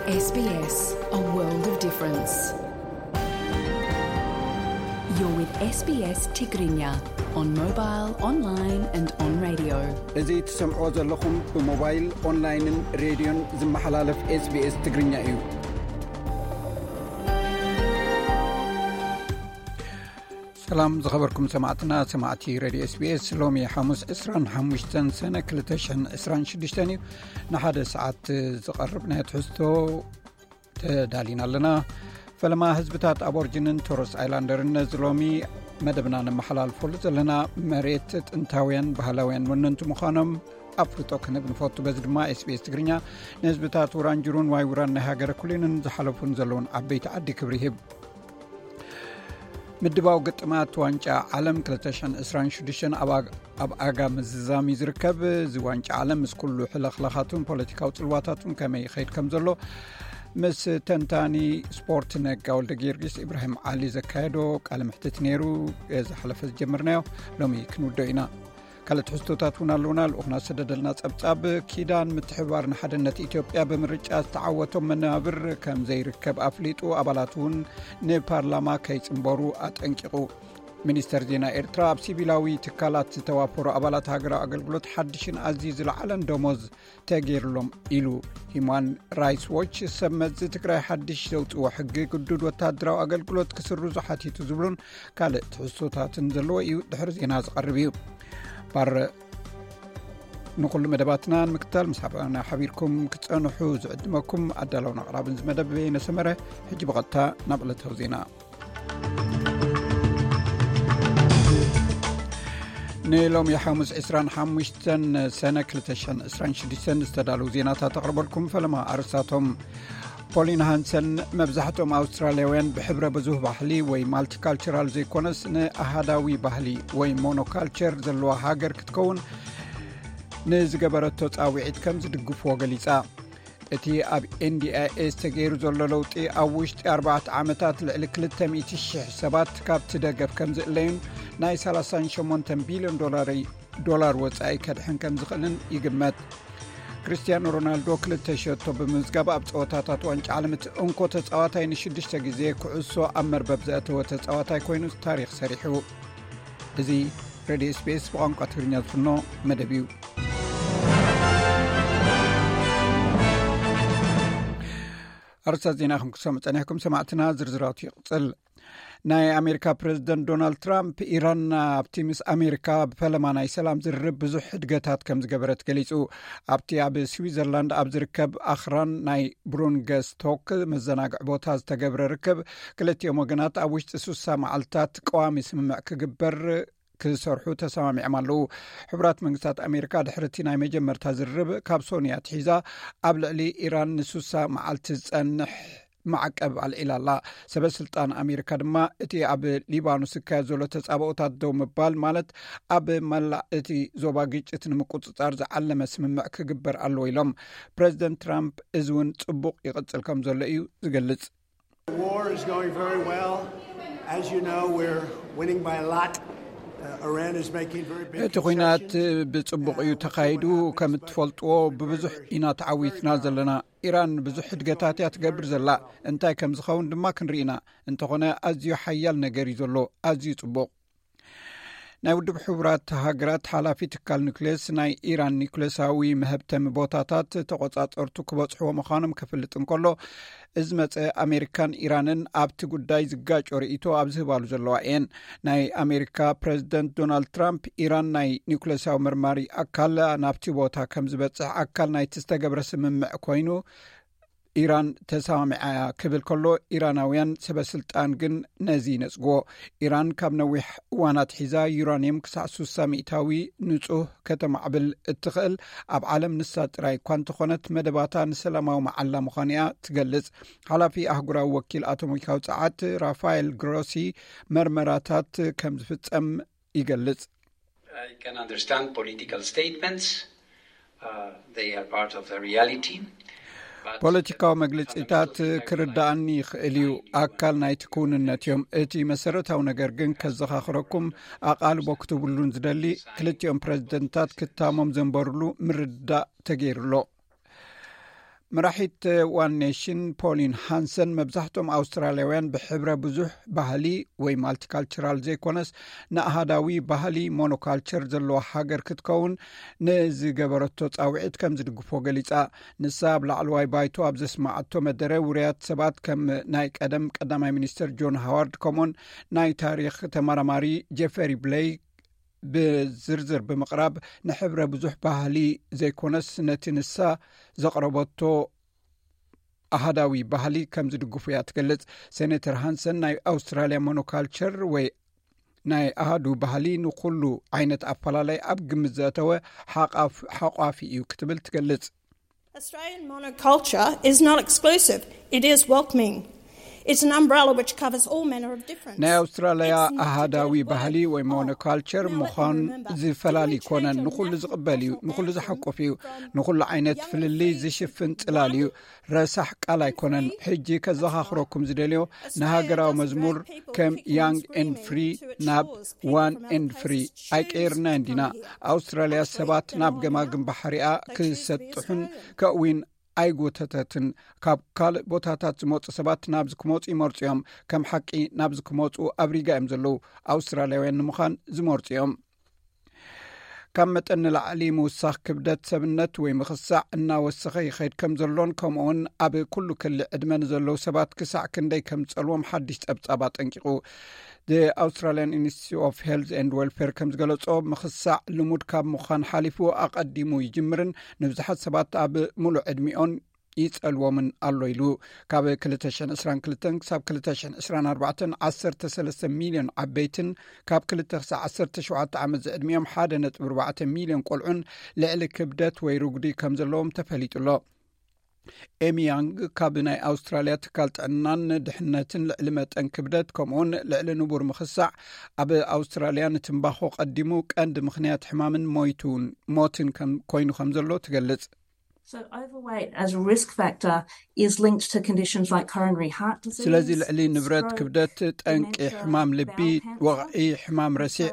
S B S, a world of difference. You're with S B S Tigrinya on mobile, online and on radio. እዚ ትሰምዕዎ ዘለኹም ብሞባይል፣ ኦንላይንን ሬድዮን ዝመሓላለፍ SBS ትግርኛ እዩ። ሰላም ዝኸበርኩም ሰማዕትና፣ ሰማዕቲ ሬድዮ SBS። ሎሚ ሓሙስ ዕስራን ሓሙሽተን ሰነ ክልተ ሽሕን ዕስራን ሽዱሽተን እዩ። ንሓደ ሰዓት ዝቐርብ ናይ ትሕዝቶ ተዳሊና ኣለና። ፈለማ ህዝብታት ኣቦርጅንን ቶረስ ኣይላንደርን ነዚ ሎሚ መደብና ነመሓላልፈሉ ዘለና መሬት ጥንታውያን ባህላውያን ወነንቲ ምዃኖም ኣፍልጦ ክንህብ ንፈቱ። በዚ ድማ SBS ትግርኛ ንህዝብታት ውራንጅሩን ዋይ ውራን ናይ ሃገረ ኩሊንን ዝሓለፉን ዘለውን ዓበይቲ ዓዲ ክብሪ ይህብ። ምድባው ግጥማት ዋንጫ ዓለም ክልተ ሽሕን ዕስራን ሽዱሽተን ኣብ ኣግ-፣ ኣብ ኣጋ ምዝዛም እዩ ዝርከብ። እዚ ዋንጫ ዓለም ምስ ኩሉ ሕለኽላኻቱን ፖለቲካዊ ጽልዋታቱን ከመይ ይኸይድ ከም ዘሎ ምስ ተንታኒ ስፖርት ነጋ ወልደ ጊዮርጊስ ኢብራሂም ዓሊ ዘካየዶ ቃለ ምሕትት ነይሩ። ዝሓለፈ ዝጀመርናዮ ሎሚ ክንውዶ ኢና። ካልእ ትሕዝቶታት እውን ኣለውና። ልኡኽና ዝሰደደልና ጸብጻብ፣ ኪዳን ምትሕብባር ንሓድነት ኢትዮጵያ ብምርጫ ዝተዓወቶም መናብር ከም ዘይርከብ ኣፍሊጡ፣ ኣባላት እውን ንፓርላማ ከይጽንበሩ ኣጠንቂቑ። ሚኒስተር ዜና ኤርትራ፣ ኣብ ሲቪላዊ ትካላት ዝተዋፈሩ ኣባላት ሃገራዊ ኣገልግሎት ሓድሽን ኣዝዩ ዝለዓለን ደሞዝ ተገይርሎም ኢሉ። ሂማን ራይትስ ዎች፣ ሰብ መዚ ትግራይ ሓድሽ ዘውፅዎ ሕጊ ግዱድ ወታደራዊ ኣገልግሎት ክስርዙ ሓቲቱ ዝብሉን ካልእ ትሕዝቶታትን ዘለዎ እዩ ድሕሪ ዜና ዝቐርብ እዩ። ባር ንኹሉ መደባትና ንምክታል ምስ ሓበና ሓቢርኩም ክጸንሑ ዝዕድመኩም ኣዳለውን ኣቕራብን ዝመደብ ነሰመረ። ሕጂ ብቐጥታ ናብ ዕለታዊ ዜና። ንሎሚ ሓሙስ ዕስራን ሓሙሽተን ሰነ ክልተ ሽሕን ዕስራን ሽዱሽተን ዝተዳለዉ ዜናታት ኣቕርበልኩም። ፈለማ ኣርእስታቶም። ፖሊን ሃንሰን፣ መብዛሕትኦም ኣውስትራልያውያን ብሕብረ ብዙህ ባህሊ ወይ ማልቲካልቸራል ዘይኮነስ ንኣሃዳዊ ባህሊ ወይ ሞኖካልቸር ዘለዋ ሃገር ክትከውን ንዝገበረቶ ጻውዒት ከም ዝድግፍዎ ገሊጻ። እቲ ኣብ ኤንዲኣይኤስ ተገይሩ ዘሎ ለውጢ ኣብ ውሽጢ ኣርባዕተ ዓመታት ልዕሊ ክልተ ሚእቲ ሽሕ ሰባት ካብቲ ደገፍ ከም ዝእለዩን ናይ ሰላሳን ሸሞንተን ቢልዮን ዶላር፣ ዶላር ወጻኢ ከድሕን ከም ዝኽእልን ይግመት። ክርስቲያኖ ሮናልዶ ክልተ ሸቶ ብምምዝጋብ ኣብ ጸወታታት ዋንጫ ዓለም እቲ እንኮ ተጻዋታይ ንሽዱሽተ ግዜ ኩዕሶ ኣብ መርበብ ዘእተወ ተጻዋታይ ኮይኑ ታሪኽ ሰሪሑ። እዚ ሬድዮ SBS ብቋንቋ ትግርኛ ዝፍኖ መደብ እዩ። ኣርእስታት ዜና ከም ክትሰምዑ ጸኒሕኩም ሰማዕትና፣ ዝርዝራቱ ይቕጽል። ናይ ኣሜሪካ ፕሬዚደንት ዶናልድ ትራምፕ፣ ኢራን ኣብቲ ምስ ኣሜሪካ ብፈለማ ናይ ሰላም ዝርርብ ብዙሕ ሕድገታት ከም ዝገበረት ገሊጹ። ኣብቲ ኣብ ስዊዘርላንድ ኣብ ዝርከብ ኣኽራን ናይ ብሩንገስቶክ መዘናግዒ ቦታ ዝተገብረ ርክብ፣ ክልቲኦም ወገናት ኣብ ውሽጢ ሱሳ መዓልታት ቀዋሚ ስምምዕ ክግበር ክሰርሑ ተሰማሚዖም ኣለዉ። ሕቡራት መንግስታት ኣሜሪካ ድሕሪ እቲ ናይ መጀመርታ ዝርርብ ካብ ሶንያ ትሒዛ ኣብ ልዕሊ ኢራን ንሱሳ መዓልቲ ዝጸንሕ ማዕቀብ ኣልዒላ ኣላ። ሰበ ስልጣን ኣሜሪካ ድማ እቲ ኣብ ሊባኖስ ዝካየድ ዘሎ ተጻብኦታት ደው ምባል ማለት ኣብ መላእ እቲ ዞባ ግጭት ንምቁጽጻር ዝዓለመ ስምምዕ ክግበር ኣለዎ ኢሎም። ፕሬዚደንት ትራምፕ እዚ እውን ጽቡቕ ይቕጽል ከም ዘሎ እዩ ዝገልጽ። The war is going very well. As you know, we're winning by a lot. Uh, Iran is making very big እቲ ኲናት concessions. ብጽቡቕ እዩ ተኻይዱ። ከም እትፈልጥዎ ብብዙሕ ኢና ተዓዊትና ዘለና። ኢራን ብዙሕ ሕድገታት እያ ትገብር ዘላ። እንታይ ከም ዝኸውን ድማ ክንርኢ ኢና። እንተኾነ ኣዝዩ ሓያል ነገር እዩ ዘሎ። ኣዝዩ ጽቡቕ። ናይ ውድብ ሕቡራት ሃገራት ሓላፊ ትካል ኒኩሌስ፣ ናይ ኢራን ኒኩሌሳዊ መሀብተሚ ቦታታት ተቖጻጸርቱ ክበጽሕዎ ምዃኖም ክፍልጥ እንከሎ፣ እዚ መጸ ኣሜሪካን ኢራንን ኣብቲ ጉዳይ ዝጋጮ ርእይቶ ኣብ ዝህባሉ ዘለዋ እየን። ናይ ኣሜሪካ ፕሬዚደንት ዶናልድ ትራምፕ፣ ኢራን ናይ ኒኩሌሳዊ መርማሪ ኣካል ናብቲ ቦታ ከም ዝበጽሕ ኣካል ናይቲ ዝተገብረ ስምምዕ ኮይኑ፣ ኢራን ተሰማሚዓ እያ ክብል ከሎ፣ ኢራናውያን ሰበ ስልጣን ግን ነዚ ይነጽግዎ። ኢራን ካብ ነዊሕ እዋን ኣትሒዛ ዩራንየም ክሳዕ ሱሳ ሚእታዊ ንጹህ ከተማዕብል እትኽእል ኣብ ዓለም ንሳ ጥራይ እኳ እንተኾነት፣ መደባታ ንሰላማዊ መዓላ ምዃኑ እያ ትገልጽ። ሓላፊ ኣህጉራዊ ወኪል ኣቶሚካዊ ጸዓት ራፋኤል ግሮሲ፣ መርመራታት ከም ዝፍጸም ይገልጽ። I can understand political statements. Uh, they are part of the reality. But ፖለቲካዊ መግለጺታት ክርዳኣኒ ይኽእል እዩ፣ ኣካል ናይቲ ክውንነት እዮም። እቲ መሰረታዊ ነገር ግን ከዘኻኽረኩም፣ ኣቓልቦ ክትብሉን ዝደሊ፣ ክልቲኦም ፕረዚደንታት ክታሞም ዘንበሩሉ ምርድዳእ ተገይሩ ኣሎ። መራሒት ዋን ኔሽን ፖሊን ሃንሰን፣ መብዛሕትኦም ኣውስትራልያውያን ብሕብረ ብዙሕ ባህሊ ወይ ማልቲካልቸራል ዘይኮነስ፣ ንኣሃዳዊ ባህሊ ሞኖካልቸር ዘለዋ ሃገር ክትከውን ንዝገበረቶ ጻውዒት ከም ዝድግፎ ገሊጻ። ንሳ ኣብ ላዕለዋይ ባይቶ ኣብ ዘስማዓቶ መደረ፣ ውርያት ሰባት ከም ናይ ቀደም ቀዳማይ ሚኒስትር ጆን ሃዋርድ፣ ከምኡን ናይ ታሪኽ ተመራማሪ ጄፈሪ ብሌይ ብዝርዝር ብምቕራብ፣ ንሕብረ ብዙሕ ባህሊ ዘይኮነስ፣ ነቲ ንሳ ዘቕረበቶ ኣሃዳዊ ባህሊ ከም ዝድግፉ እያ ትገልጽ። ሴኔተር ሃንሰን፣ ናይ ኣውስትራልያ ሞኖካልቸር ወይ ናይ ኣሃዱ ባህሊ ንኹሉ ዓይነት ኣፈላላይ ኣብ ግምት ዘእተወ ሓቋፍ-፣ ሓቋፊ እዩ ክትብል ትገልጽ። Australian monoculture is not exclusive. It is welcoming. It's an umbrella which covers all manner of difference. ናይ ኣውስትራልያ ኣሃዳዊ ባህሊ ወይ ሞኖካልቸር ምዃን ዝፈላሊ ኣይኮነን። ንኹሉ ዝቕበል እዩ፣ ንኹሉ ዝሓቁፍ እዩ፣ ንኹሉ ዓይነት ፍልልይ ዝሽፍን ጽላል እዩ። ረሳሕ ቃል ኣይኮነን። ሕጂ ከዘኻኽረኩም ዝደልዮ፣ ንሃገራዊ መዝሙር ከም ያንግ ኤንድ ፍሪ ናብ ዋን ኤንድ ፍሪ ኣይቀየርና እንዲና። ኣውስትራልያ ሰባት ናብ ገማግም ባሕሪኣ ክሰጥሑን ከእዊን ኣይጎተተትን። ካብ ካልእ ቦታታት ዝመፁ ሰባት ናብዚ ክመፁ ይመርፁ እዮም። ከም ሓቂ ናብዚ ክመፁ ኣብ ሪጋ እዮም ዘለዉ። ኣውስትራልያውያን ንምዃን ዝመርፁ እዮም። ካብ መጠን ንላዕሊ ምውሳኽ ክብደት ሰብነት ወይ ምኽሳዕ እናወሰኸ ይኸይድ ከም ዘሎን፣ ከምኡውን ኣብ ኩሉ ክሊ ዕድመ ንዘለዉ ሰባት ክሳዕ ክንደይ ከም ዝጸልዎም ሓድሽ ጸብጻብ ኣጠንቂቑ። The Australian Institute of Health and Welfare ከም ዝገለጾ፣ ምኽሳዕ ልሙድ ካብ ምዃን ሓሊፉ ኣቐዲሙ ይጅምርን ንብዙሓት ሰባት ኣብ ሙሉእ ዕድሚኦን ይጸልዎምን ኣሎ ኢሉ። ካብ ክልተ ሽሕን ዕስራን ክልተን ክሳብ ክልተ ሽሕን ዕስራን ኣርባዕተን፣ ዓሰርተ ሰለስተ ሚልዮን ዓበይትን ካብ ክልተ ክሳብ ዓሰርተ ሸውዓተ ዓመት ዝዕድሚኦም ሓደ ነጥቢ ኣርባዕተ ሚልዮን ቆልዑን ልዕሊ ክብደት ወይ ርጉዲ ከም ዘለዎም ተፈሊጡ ኣሎ። ኤሚ ያንግ ካብ ናይ ኣውስትራልያ ትካል ጥዕናን ድሕነትን፣ ልዕሊ መጠን ክብደት ከምኡውን ልዕሊ ንቡር ምኽሳዕ ኣብ ኣውስትራልያ ንትምባኾ ቀዲሙ ቀንዲ ምኽንያት ሕማምን ሞይቱን ሞትን ከም ኮይኑ ከም ዘሎ ትገልጽ። So overweight as a risk factor is linked to conditions like coronary heart disease. ስለዚ ልዕሊ ንብረት ክብደት፣ ጠንቂ ሕማም ልቢ፣ ወቕዒ፣ ሕማም ረሲዕ፣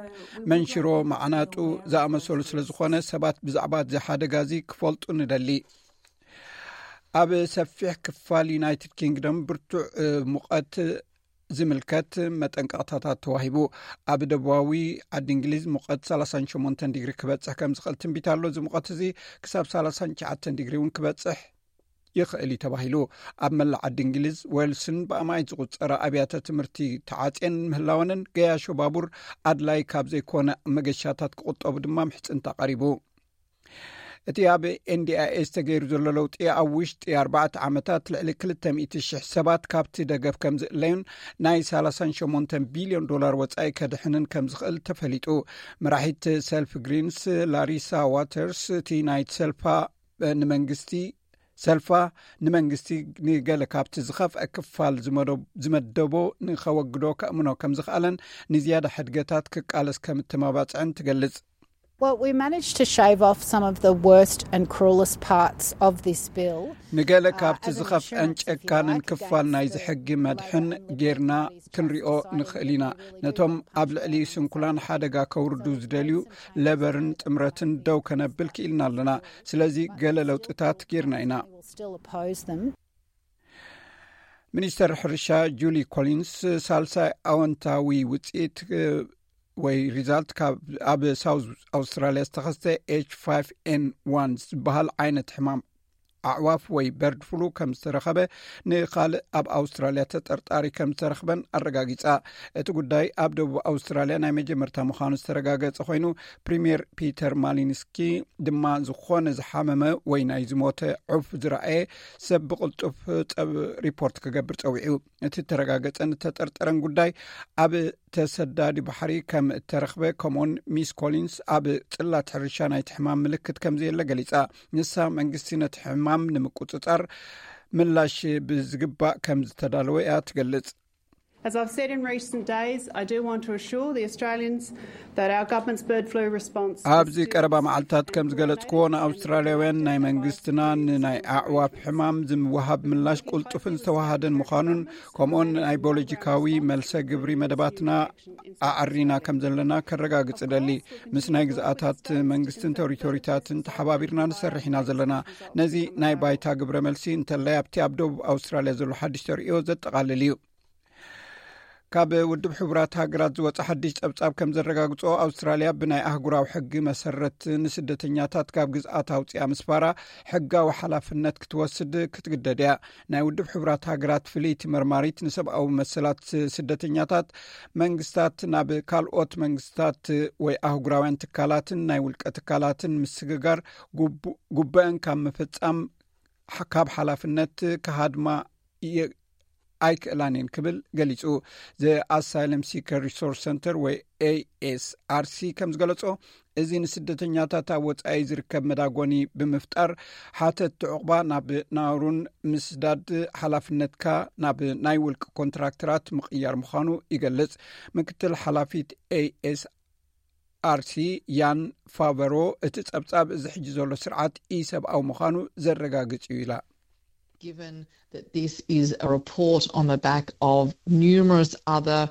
መንሽሮ፣ ማዕናጡ ዝኣመሰሉ ስለ ዝኾነ፣ ሰባት ብዛዕባ እዚ ሓደጋ እዚ ክፈልጡ ንደሊ። ኣብ ሰፊሕ ክፋል ዩናይትድ ኪንግደም ብርቱዕ ሙቐት ዝምልከት መጠንቀቕታታት ተዋሂቡ። ኣብ ደቡባዊ ዓዲ እንግሊዝ ሙቐት ሰላሳን ሸሞንተን ዲግሪ ክበጽሕ ከም ዝኽእል ትንቢት ኣሎ። እዚ ሙቐት እዚ ክሳብ ሰላሳን ትሽዓተን ዲግሪ እውን ክበጽሕ ይኽእል እዩ ተባሂሉ። ኣብ መላእ ዓዲ እንግሊዝ፣ ዌልስን ብኣማኢት ዝቑጸራ ኣብያተ ትምህርቲ ተዓጽየን ምህላወንን፣ ገያሾ ባቡር ኣድላይ ካብ ዘይኮነ መገሻታት ክቑጠቡ ድማ ምሕጽንታ ቀሪቡ። እቲ ኣብ ኤንዲኣይኤ ዝተገይሩ ዘሎ ለውጢ፣ ኣብ ውሽጢ ኣርባዕተ ዓመታት ልዕሊ ክልተ ሚእቲ ሽሕ ሰባት ካብቲ ደገፍ ከም ዝእለዩን ናይ ሰላሳን ሸሞንተን ቢልዮን ዶላር ወጻኢ ከድሕንን ከም ዝኽእል ተፈሊጡ። መራሒት ሰልፍ ግሪንስ ላሪሳ ዋተርስ፣ እቲ ናይ ሰልፋ ንመንግስቲ ሰልፋ ንመንግስቲ ንገለ ካብቲ ዝኸፍአ ክፋል ዝመደብ-፣ ዝመደቦ ንኸወግዶ ከእምኖ ከም ዝኽኣለን፣ ንዝያዳ ሕድገታት ክቃለስ ከም እተማባጽዐን ትገልጽ። Well, we managed to shave off some of the worst and cruelest parts of this bill. ንገለ ካብቲ ዝኸፍአን ጨካንን ክፋል ናይዚ ሕጊ መድሕን ጌርና ክንሪኦ ንኽእል ኢና። ነቶም ኣብ ልዕሊ ስንኩላን ሓደጋ ከውርዱ ዝደልዩ ለበርን ጥምረትን ደው ከነብል ክኢልና ኣለና። ስለዚ ገለ ለውጥታት ጌርና ኢና። We will still oppose them. ሚኒስተር ሕርሻ ጁሊ ኮሊንስ፣ ሳልሳይ ኣወንታዊ ውፅኢት ወይ ሪዛልት ካብ ኣብ ሳውዝ ኣውስትራልያ ዝተኸስተ ኤች ፋይቭ ኤን ዋን ዝበሃል ዓይነት ሕማም ኣዕዋፍ ወይ በርድ ፍሉ ከም ዝተረኸበ፣ ንኻልእ ኣብ ኣውስትራልያ ተጠርጣሪ ከም ዝተረኽበን ኣረጋጊጻ። እቲ ጉዳይ ኣብ ደቡብ ኣውስትራልያ ናይ መጀመርታ ምዃኑ ዝተረጋገጸ ኮይኑ፣ ፕሪምየር ፒተር ማሊንስኪ ድማ ዝኾነ ዝሓመመ ወይ ናይ ዝሞተ ዑፍ ዝረኣየ ሰብ ብቕልጡፍ ጸብ-፣ ሪፖርት ክገብር ጸዊዑ። እቲ ተረጋገጸን እተጠርጠረን ጉዳይ ኣብ ተሰዳዲ ባሕሪ ከም እተረኽበ፣ ከምኡውን ሚስ ኮሊንስ ኣብ ጽላት ሕርሻ ናይቲ ሕማም ምልክት ከም ዘየለ ገሊጻ። ንሳ መንግስቲ ነቲ ሕማም ንምቁጽጻር ምላሽ ብዝግባእ ከም ዝተዳለወ እያ ትገልጽ። As I've said in recent days, I do want to assure the Australians that our government's bird flu response is ኣብዚ ቀረባ መዓልታት ከም ዝገለጽክዎ፣ ንኣውስትራልያውያን ናይ መንግስትና ንናይ ኣዕዋፍ ሕማም ዝወሃብ ምላሽ ቁልጡፍን ዝተዋሃደን ምዃኑን፣ ከምኡውን ናይ ቦሎጂካዊ መልሰ ግብሪ መደባትና ኣዕሪና ከም ዘለና ከረጋግጽ እደሊ። ምስ ናይ ግዝኣታት መንግስትን ቴሪቶሪታትን ተሓባቢርና ንሰርሕ ኢና ዘለና። ነዚ ናይ ባይታ ግብረ መልሲ እንተላይ ኣብቲ ኣብ ደቡብ ኣውስትራልያ ዘሎ ሓድሽ ተርእዮ ዘጠቓልል እዩ። ካብ ውድብ ሕቡራት ሃገራት ዝወፀ ሓድሽ ጸብጻብ ከም ዘረጋግጾ፣ ኣውስትራልያ ብናይ ኣህጉራዊ ሕጊ መሰረት ንስደተኛታት ካብ ግዝኣት ኣውፅኣ ምስፋራ ሕጋዊ ሓላፍነት ክትወስድ ክትግደድ እያ። ናይ ውድብ ሕቡራት ሃገራት ፍልይቲ መርማሪት ንሰብኣዊ መሰላት ስደተኛታት፣ መንግስታት ናብ ካልኦት መንግስታት ወይ ኣህጉራውያን ትካላትን ናይ ውልቀ ትካላትን ምስግጋር ጉቡ- ጉበአን ካብ ምፍጻም ካብ ሓላፍነት ክሃድማ ኣይክእላን እየን ክብል ገሊጹ። The Asylum Seeker Resource Center ወይ ኤ ኤስ ኣር ሲ ከም ዝገለጾ፣ እዚ ንስደተኛታት ኣብ ወጻኢ ዝርከብ መዳጎኒ ብምፍጣር፣ ሓተትቲ ዕቑባ ናብ ናሩን ምስዳድ ሓላፍነትካ ናብ ናይ ውልቂ ኮንትራክተራት ምቕያር ምዃኑ ይገልጽ። ምክትል ሓላፊት ኤ ኤስ ኣር ሲ ያን ፋቨሮ፣ እቲ ጸብጻብ እዚ ሕጂ ዘሎ ስርዓት ኢሰብኣዊ ምዃኑ ዘረጋግጽ እዩ ኢላ። Given that this is a report on the back of numerous other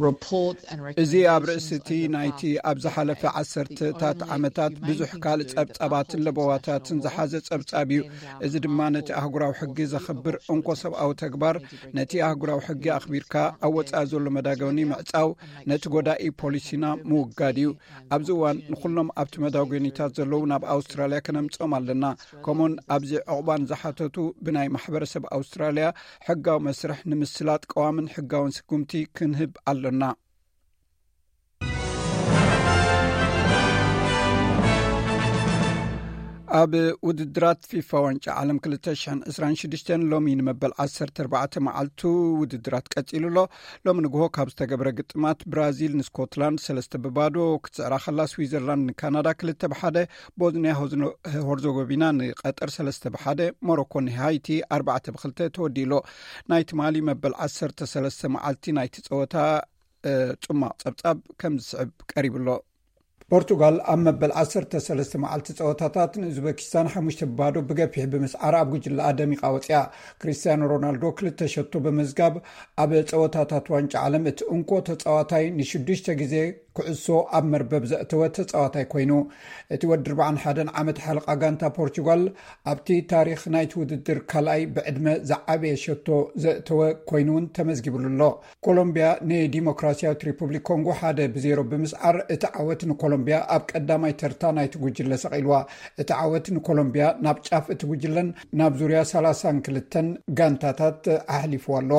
reports and እዚ ኣብ ርእሲ እቲ ናይቲ ኣብ ዝሓለፈ ዓሰርተታት ዓመታት ብዙሕ ካልእ ጸብጻባትን ለበዋታትን ዝሓዘ ጸብጻብ እዩ። እዚ ድማ ነቲ ኣህጉራዊ ሕጊ ዘኽብር እንኮ ሰብኣዊ ተግባር፣ ነቲ ኣህጉራዊ ሕጊ ኣኽቢርካ ኣብ ወጻኢ ዘሎ መዳገኒ ምዕጻው፣ ነቲ ጎዳኢ ፖሊሲና ምውጋድ እዩ። ኣብዚ እዋን ንኹሎም ኣብቲ መዳጎኒታት ዘለዉ ናብ ኣውስትራልያ ከነምጽኦም ኣለና። ከምኡን ኣብዚ ዕቑባን ዝሓተቱ ብናይ ማሕበረሰብ ኣውስትራልያ ሕጋዊ መስርሕ ንምስላጥ ቀዋምን ሕጋውን ስጉምቲ ክንህብ ኣለና። ኣብ ውድድራት ፊፋ ዋንጫ ዓለም ክልተ ሽሕን ዕስራን ሽዱሽተን ሎሚ ንመበል ዓሰርተ ኣርባዕተ መዓልቱ ውድድራት ቀጺሉ ኣሎ። ሎሚ ንግሆ ካብ ዝተገብረ ግጥማት፣ ብራዚል ንስኮትላንድ ሰለስተ ብባዶ ክትስዕራ ከላ፣ ስዊዘርላንድ ንካናዳ ክልተ ብሓደ፣ ቦዝኒያ ሆዝኖ- ሆርዞጎቪና ንቀጠር ሰለስተ ብሓደ፣ ሞሮኮ ንሃይቲ ኣርባዕተ ብክልተ ተወዲእሎ። ናይ ትማሊ መበል ዓሰርተ ሰለስተ መዓልቲ ናይቲ ጸወታ እ፣ ጽማቕ ጸብጻብ ከም ዝስዕብ ቀሪቡ ኣሎ። ፖርቱጋል ኣብ መበል ዓሰርተ ሰለስተ መዓልቲ ጸወታታት ንኡዝበኪስታን ሓሙሽተ ብባዶ ብገፊሕ ብምስዓራ ኣብ ጉጅለኣ ደሚቓ ወጺኣ። ክሪስቲያኖ ሮናልዶ ክልተ ሸቶ ብምዝጋብ ኣብ ጸወታታት ዋንጫ ዓለም እቲ እንኮ ተጻዋታይ፣ ንሽዱሽተ ግዜ ኩዕሶ ኣብ መርበብ ዘእተወ ተጻዋታይ ኮይኑ፣ እቲ ወዲ ኣርባዓን ሓደን ዓመት ሓለቓ ጋንታ ፖርቱጋል ኣብቲ ታሪኽ ናይቲ ውድድር ካልኣይ ብዕድመ ዝዓበየ ሸቶ ዘእተወ ኮይኑ እውን ተመዝጊብሉ ኣሎ። ኮሎምቢያ ንዲሞክራሲያዊት ሪፑብሊክ ኮንጎ ሓደ ብዜሮ ብምስዓር፣ እቲ ዓወት ንኮሎምቢያ ኣብ ቀዳማይ ተርታ ናይቲ ጉጅለ ሰቒልዋ። እቲ ዓወት ንኮሎምቢያ ናብ ጫፍ እቲ ጉጅለን ናብ ዙርያ ሰላሳን ክልተን ጋንታታት ኣሕሊፍዋ ኣሎ።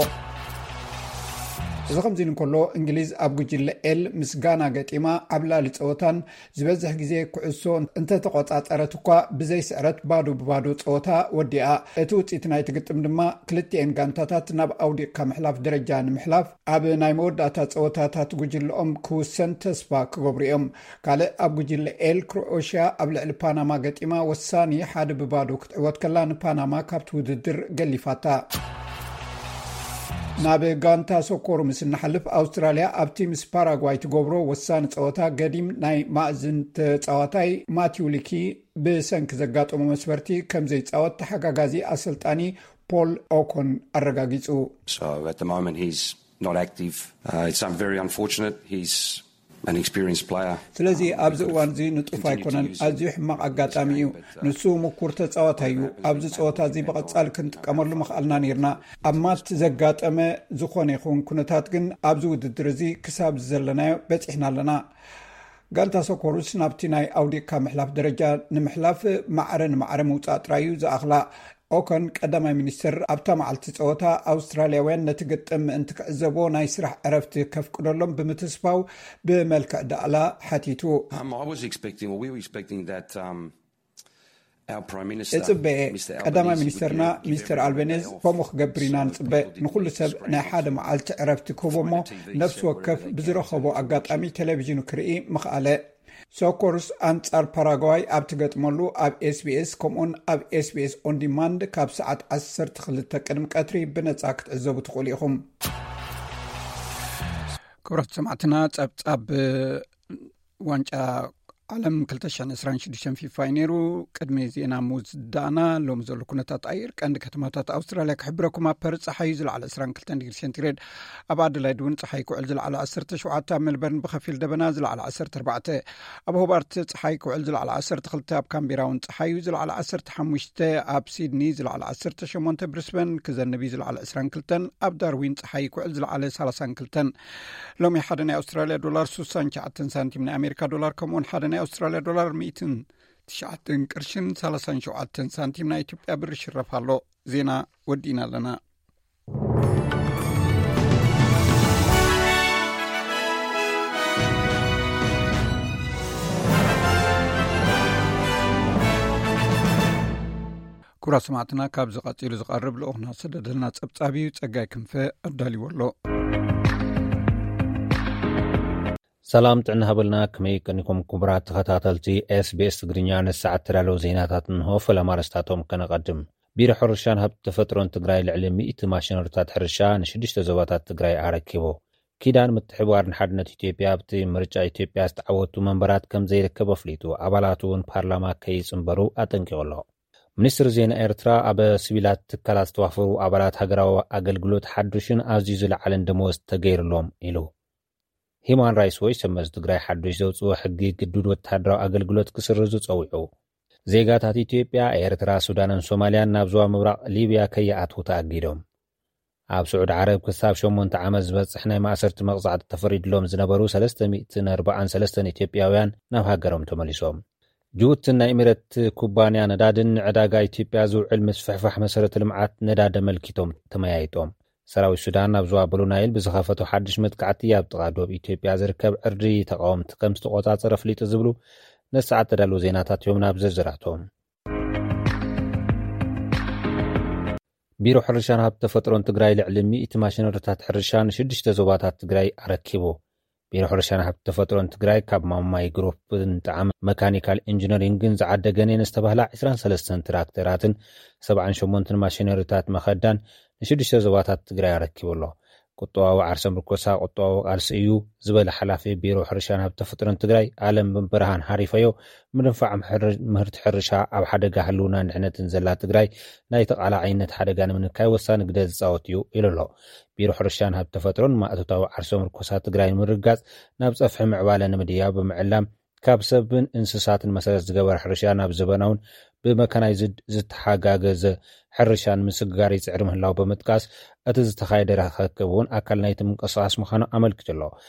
እዚ ከምዚ ኢሉ እንከሎ፣ እንግሊዝ ኣብ ጉጅለ ኤል ምስ ጋና ገጢማ ዓብላሊ ጸወታን ዝበዝሕ ግዜ ኩዕሶ እንተተቖጻጸረት እኳ፣ ብዘይ ስዕረት ባዶ ብባዶ ጸወታ ወዲኣ። እቲ ውጽኢት ናይቲ ግጥም ድማ ክልቲኤን ጋንታታት ናብ ኣውዲቕካ ምሕላፍ ደረጃ ንምሕላፍ ኣብ ናይ መወዳእታ ጸወታታት ጉጅለኦም ክውሰን ተስፋ ክገብሩ እዮም። ካልእ ኣብ ጉጅለ ኤል፣ ክሮኤሽያ ኣብ ልዕሊ ፓናማ ገጢማ ወሳኒ ሓደ ብባዶ ክትዕወት ከላ፣ ንፓናማ ካብቲ ውድድር ገሊፋታ። ናብ ጋንታ ሰኮሩ ምስ እንሓልፍ፣ ኣውስትራልያ ኣብቲ ምስ ፓራጓይ ትገብሮ ወሳኒ ጸወታ ገዲም ናይ ማእዝን ተጻዋታይ ማቲው ሊኪ ብሰንኪ ዘጋጠሞ መስበርቲ ከም ዘይጻወት ተሓጋጋዚ ኣሰልጣኒ ፖል ኦኮን ኣረጋጊጹ። So at the moment he's not active. Uh, it's um, very unfortunate. He's an experienced player. ስለዚ ኣብዚ እዋን እዚ ንጡፍ ኣይኮነን። ኣዝዩ ሕማቕ ኣጋጣሚ እዩ። ንሱ ምኩር ተጻዋታይ እዩ። ኣብዚ ጸወታ እዚ ብቐጻሊ ክንጥቀመሉ ምኽኣልና ነይርና። ኣብ ማት ዘጋጠመ ዝኾነ ይኹን ኩነታት ግን ኣብዚ ውድድር እዚ ክሳብ ዘለናዮ በጺሕና ኣለና። ጋንታ ሰኮሩስ ናብቲ ናይ ኣውዲቕካ ምሕላፍ ደረጃ ንምሕላፍ ማዕረ ንማዕረ ምውጻእ ጥራይ እዩ ዝኣኽላ። ኦከን ቀዳማይ ሚኒስትር ኣብታ መዓልቲ ጸወታ ኣውስትራልያውያን ነቲ ግጥም ምእንቲ ክዕዘቦ ናይ ስራሕ ዕረፍቲ ከፍቅደሎም ብምትስፋው ብመልክዕ ዳእላ ሓቲቱ። Um, I was expecting, or we were expecting that um, our Prime Minister, እጽበኤ Mr. ቀዳማይ Albanese would ሚኒስተርና give- give ሚስተር everyone a ኣልበኔዝ day off ከምኡ so ክገብር ኢና that ንጽበ። people didn't ንኹሉ ሰብ ናይ ሓደ መዓልቲ ዕረፍቲ ክህቦ እሞ ነፍሲ ወከፍ ብዝረኸቦ ኣጋጣሚ ቴሌቪዥኑ ክርኢ ምኽኣለ። ሶኮርስ ኣንጻር ፓራጓይ ኣብ ትገጥመሉ ኣብ ኤስቢኤስ ከምኡን ኣብ ኤስቢኤስ ኦን ዲማንድ ካብ ሰዓት ዓሰርተ ክልተ ቅድሚ ቀትሪ ብነጻ ክትዕዘቡ ትኽእሉ ኢኹም። ክቡራት ሰማዕትና፣ ጸብጻብ ዋንጫ ዓለም ክልተ ሽሕን ዕስራን ሽዱሽተን ፊፋ እዩ ነይሩ። ቅድሚ ዜና ምውዳእና፣ ሎሚ ዘሎ ኩነታት ኣየር፣ ቀንዲ ከተማታት ኣውስትራልያ ክሕብረኩም። ኣብ ፐርዝ ጸሓይ ዝለዓለ ዕስራን ክልተን ዲግሪ ሴንቲግሬድ፣ ኣብ ኣደላይድ እውን ጸሓይ ክውዕል ዝለዓለ ዓሰርተ ሸውዓተ፣ ኣብ ሜልበርን ብኸፊል ደበና ዝለዓለ ዓሰርተ ኣርባዕተ፣ ኣብ ሆባርት ጸሓይ ክውዕል ዝለዓለ ዓሰርተ ክልተ፣ ኣብ ካምቤራ እውን ጸሓይ እዩ ዝለዓለ ዓሰርተ ሓሙሽተ፣ ኣብ ሲድኒ ዝለዓለ ዓሰርተ ሸሞንተ፣ ብሪስበን ክዘንብ እዩ ዝለዓለ ዕስራን ክልተን፣ ኣብ ዳርዊን ጸሓይ ክውዕል ዝለዓለ ሰላሳን ክልተን። ሎሚ ሓደ ናይ ኣውስትራልያ ዶላር ስሳን ትሽዓተን ሳንቲም፣ ናይ ኣሜሪካ ዶላር ከምኡውን ሓደ ናይ ኣውስትራልያ ዶላር ሚእትን ትሽዓተን ቅርሽን ሰላሳን ሸውዓተን ሳንቲም ናይ ኢትዮጵያ ብር ይሽረፍ ኣሎ። ዜና ወዲእና ኣለና። ክቡራት ሰማዕትና፣ ካብዚ ቀጺሉ ዝቐርብ ልኡኽና ዝሰደደልና ጸብጻብ እዩ። ጸጋይ ክንፈ ኣዳልዎ ኣሎ። ሰላም ጥዕና ሃበልና፣ ከመይ ቀኒኩም ክቡራት ተኸታተልቲ ኤስቢኤስ ትግርኛ? ንሰዓት ተዳለዉ ዜናታት እንሆ። ፈለማ ኣርእስታቶም ከነቐድም። ቢሮ ሕርሻን ሃብቲ ተፈጥሮን ትግራይ ልዕሊ ሚእቲ ማሽነሪታት ሕርሻ ንሽዱሽተ ዞባታት ትግራይ ኣረኪቡ። ኪዳን ምትሕብባርን ሓድነት ኢትዮጵያ ኣብቲ ምርጫ ኢትዮጵያ ዝተዓወቱ መንበራት ከም ዘይርከብ ኣፍሊጡ። ኣባላቱ እውን ፓርላማ ከይጽንበሩ ኣጠንቂቑ ኣሎ። ሚኒስትሪ ዜና ኤርትራ፣ ኣብ ሲቪላት ትካላት ዝተዋፈሩ ኣባላት ሃገራዊ ኣገልግሎት ሓዱሽን ኣዝዩ ዝለዓለን ደመወዝ ተገይርሎም ኢሉ። ሂማን ራይትስ ዎች፣ ሰመዚ ትግራይ ሓዱሽ ዘውፅዎ ሕጊ ግዱድ ወተሃደራዊ ኣገልግሎት ክስርዙ ፀዊዑ። ዜጋታት ኢትዮጵያ፣ ኤርትራ፣ ሱዳንን ሶማልያን ናብ ዞባ ምብራቕ ሊብያ ከይኣትዉ ተኣጊዶም። ኣብ ስዑድ ዓረብ ክሳብ ሸሞንተ ዓመት ዝበጽሕ ናይ ማእሰርቲ መቕጻዕቲ ተፈሪድሎም ዝነበሩ ሰለስተ ሚእትን ኣርባዓን ሰለስተን ኢትዮጵያውያን ናብ ሃገሮም ተመሊሶም። ጅቡትን ናይ ኢሚሬት ኩባንያ ነዳድን ንዕዳጋ ኢትዮጵያ ዝውዕል ምስፍሕፋሕ መሰረተ ልምዓት ነዳዲ ኣመልኪቶም ተመያይጦም። ሰራዊት ሱዳን ኣብ ዞባ ብሉ ናይል ብዝኸፈቶ ሓድሽ መጥቃዕቲ ኣብ ጥቓ ዶብ ኢትዮጵያ ዝርከብ ዕርዲ ተቃወምቲ ከም ዝተቆጻጸረ ኣፍሊጡ ዝብሉ ነሰዓት ተዳለዉ ዜናታት እዮም። ናብ ዝርዝራቶም። ቢሮ ሕርሻን ሃብቲ ተፈጥሮን ትግራይ ልዕሊ ሚእቲ ማሽነሪታት ሕርሻ ንሽዱሽተ ዞባታት ትግራይ ኣረኪቡ። ቢሮ ሕርሻን ሃብቲ ተፈጥሮን ትግራይ ካብ ማማይ ግሩፕን ጣዕመ መካኒካል ኢንጂነሪንግን ዝዓደገን እየን ዝተባህላ ዕስራን ሰለስተን ትራክተራትን ሰብዓን ሸሞንተን ማሽነሪታት መኸዳን ንሽዱሽተ ዞባታት ትግራይ ኣረኪቡ ኣሎ። ቁጠባዊ ዓርሰ ምርኮሳ ቁጠባዊ ቃልሲ እዩ ዝበለ ሓላፊ ቢሮ ሕርሻን ሃብቲ ተፈጥሮን ትግራይ ኣለም ብርሃን ሃሪፈዮ፣ ምድንፋዕ ምሕር-፣ ምህርቲ ሕርሻ ኣብ ሓደጋ ህልውናን ድሕነትን ዘላ ትግራይ ናይ ተቓላዓይነት ሓደጋ ንምንካይ ወሳኒ ግደ ዝፃወት እዩ ኢሉ ኣሎ። ቢሮ ሕርሻን ሃብቲ ተፈጥሮን ማእቶታዊ ዓርሰ ምርኮሳ ትግራይ ንምርጋፅ ናብ ፀፍሒ ምዕባለ ንምድያብ ብምዕላም ካብ ሰብን እንስሳትን መሰረት ዝገበረ ሕርሻ ናብ ዘበናውን ብመካናይዝድ ዝተሓጋገዘ ሕርሻን ምስግጋር ይፅዕር ምህላው ብምጥቃስ፣ እቲ ዝተኻየደ ርኽክብ እውን ኣካል ናይቲ ምንቅስቃስ ምዃኑ ኣመልኪቱ ኣሎ።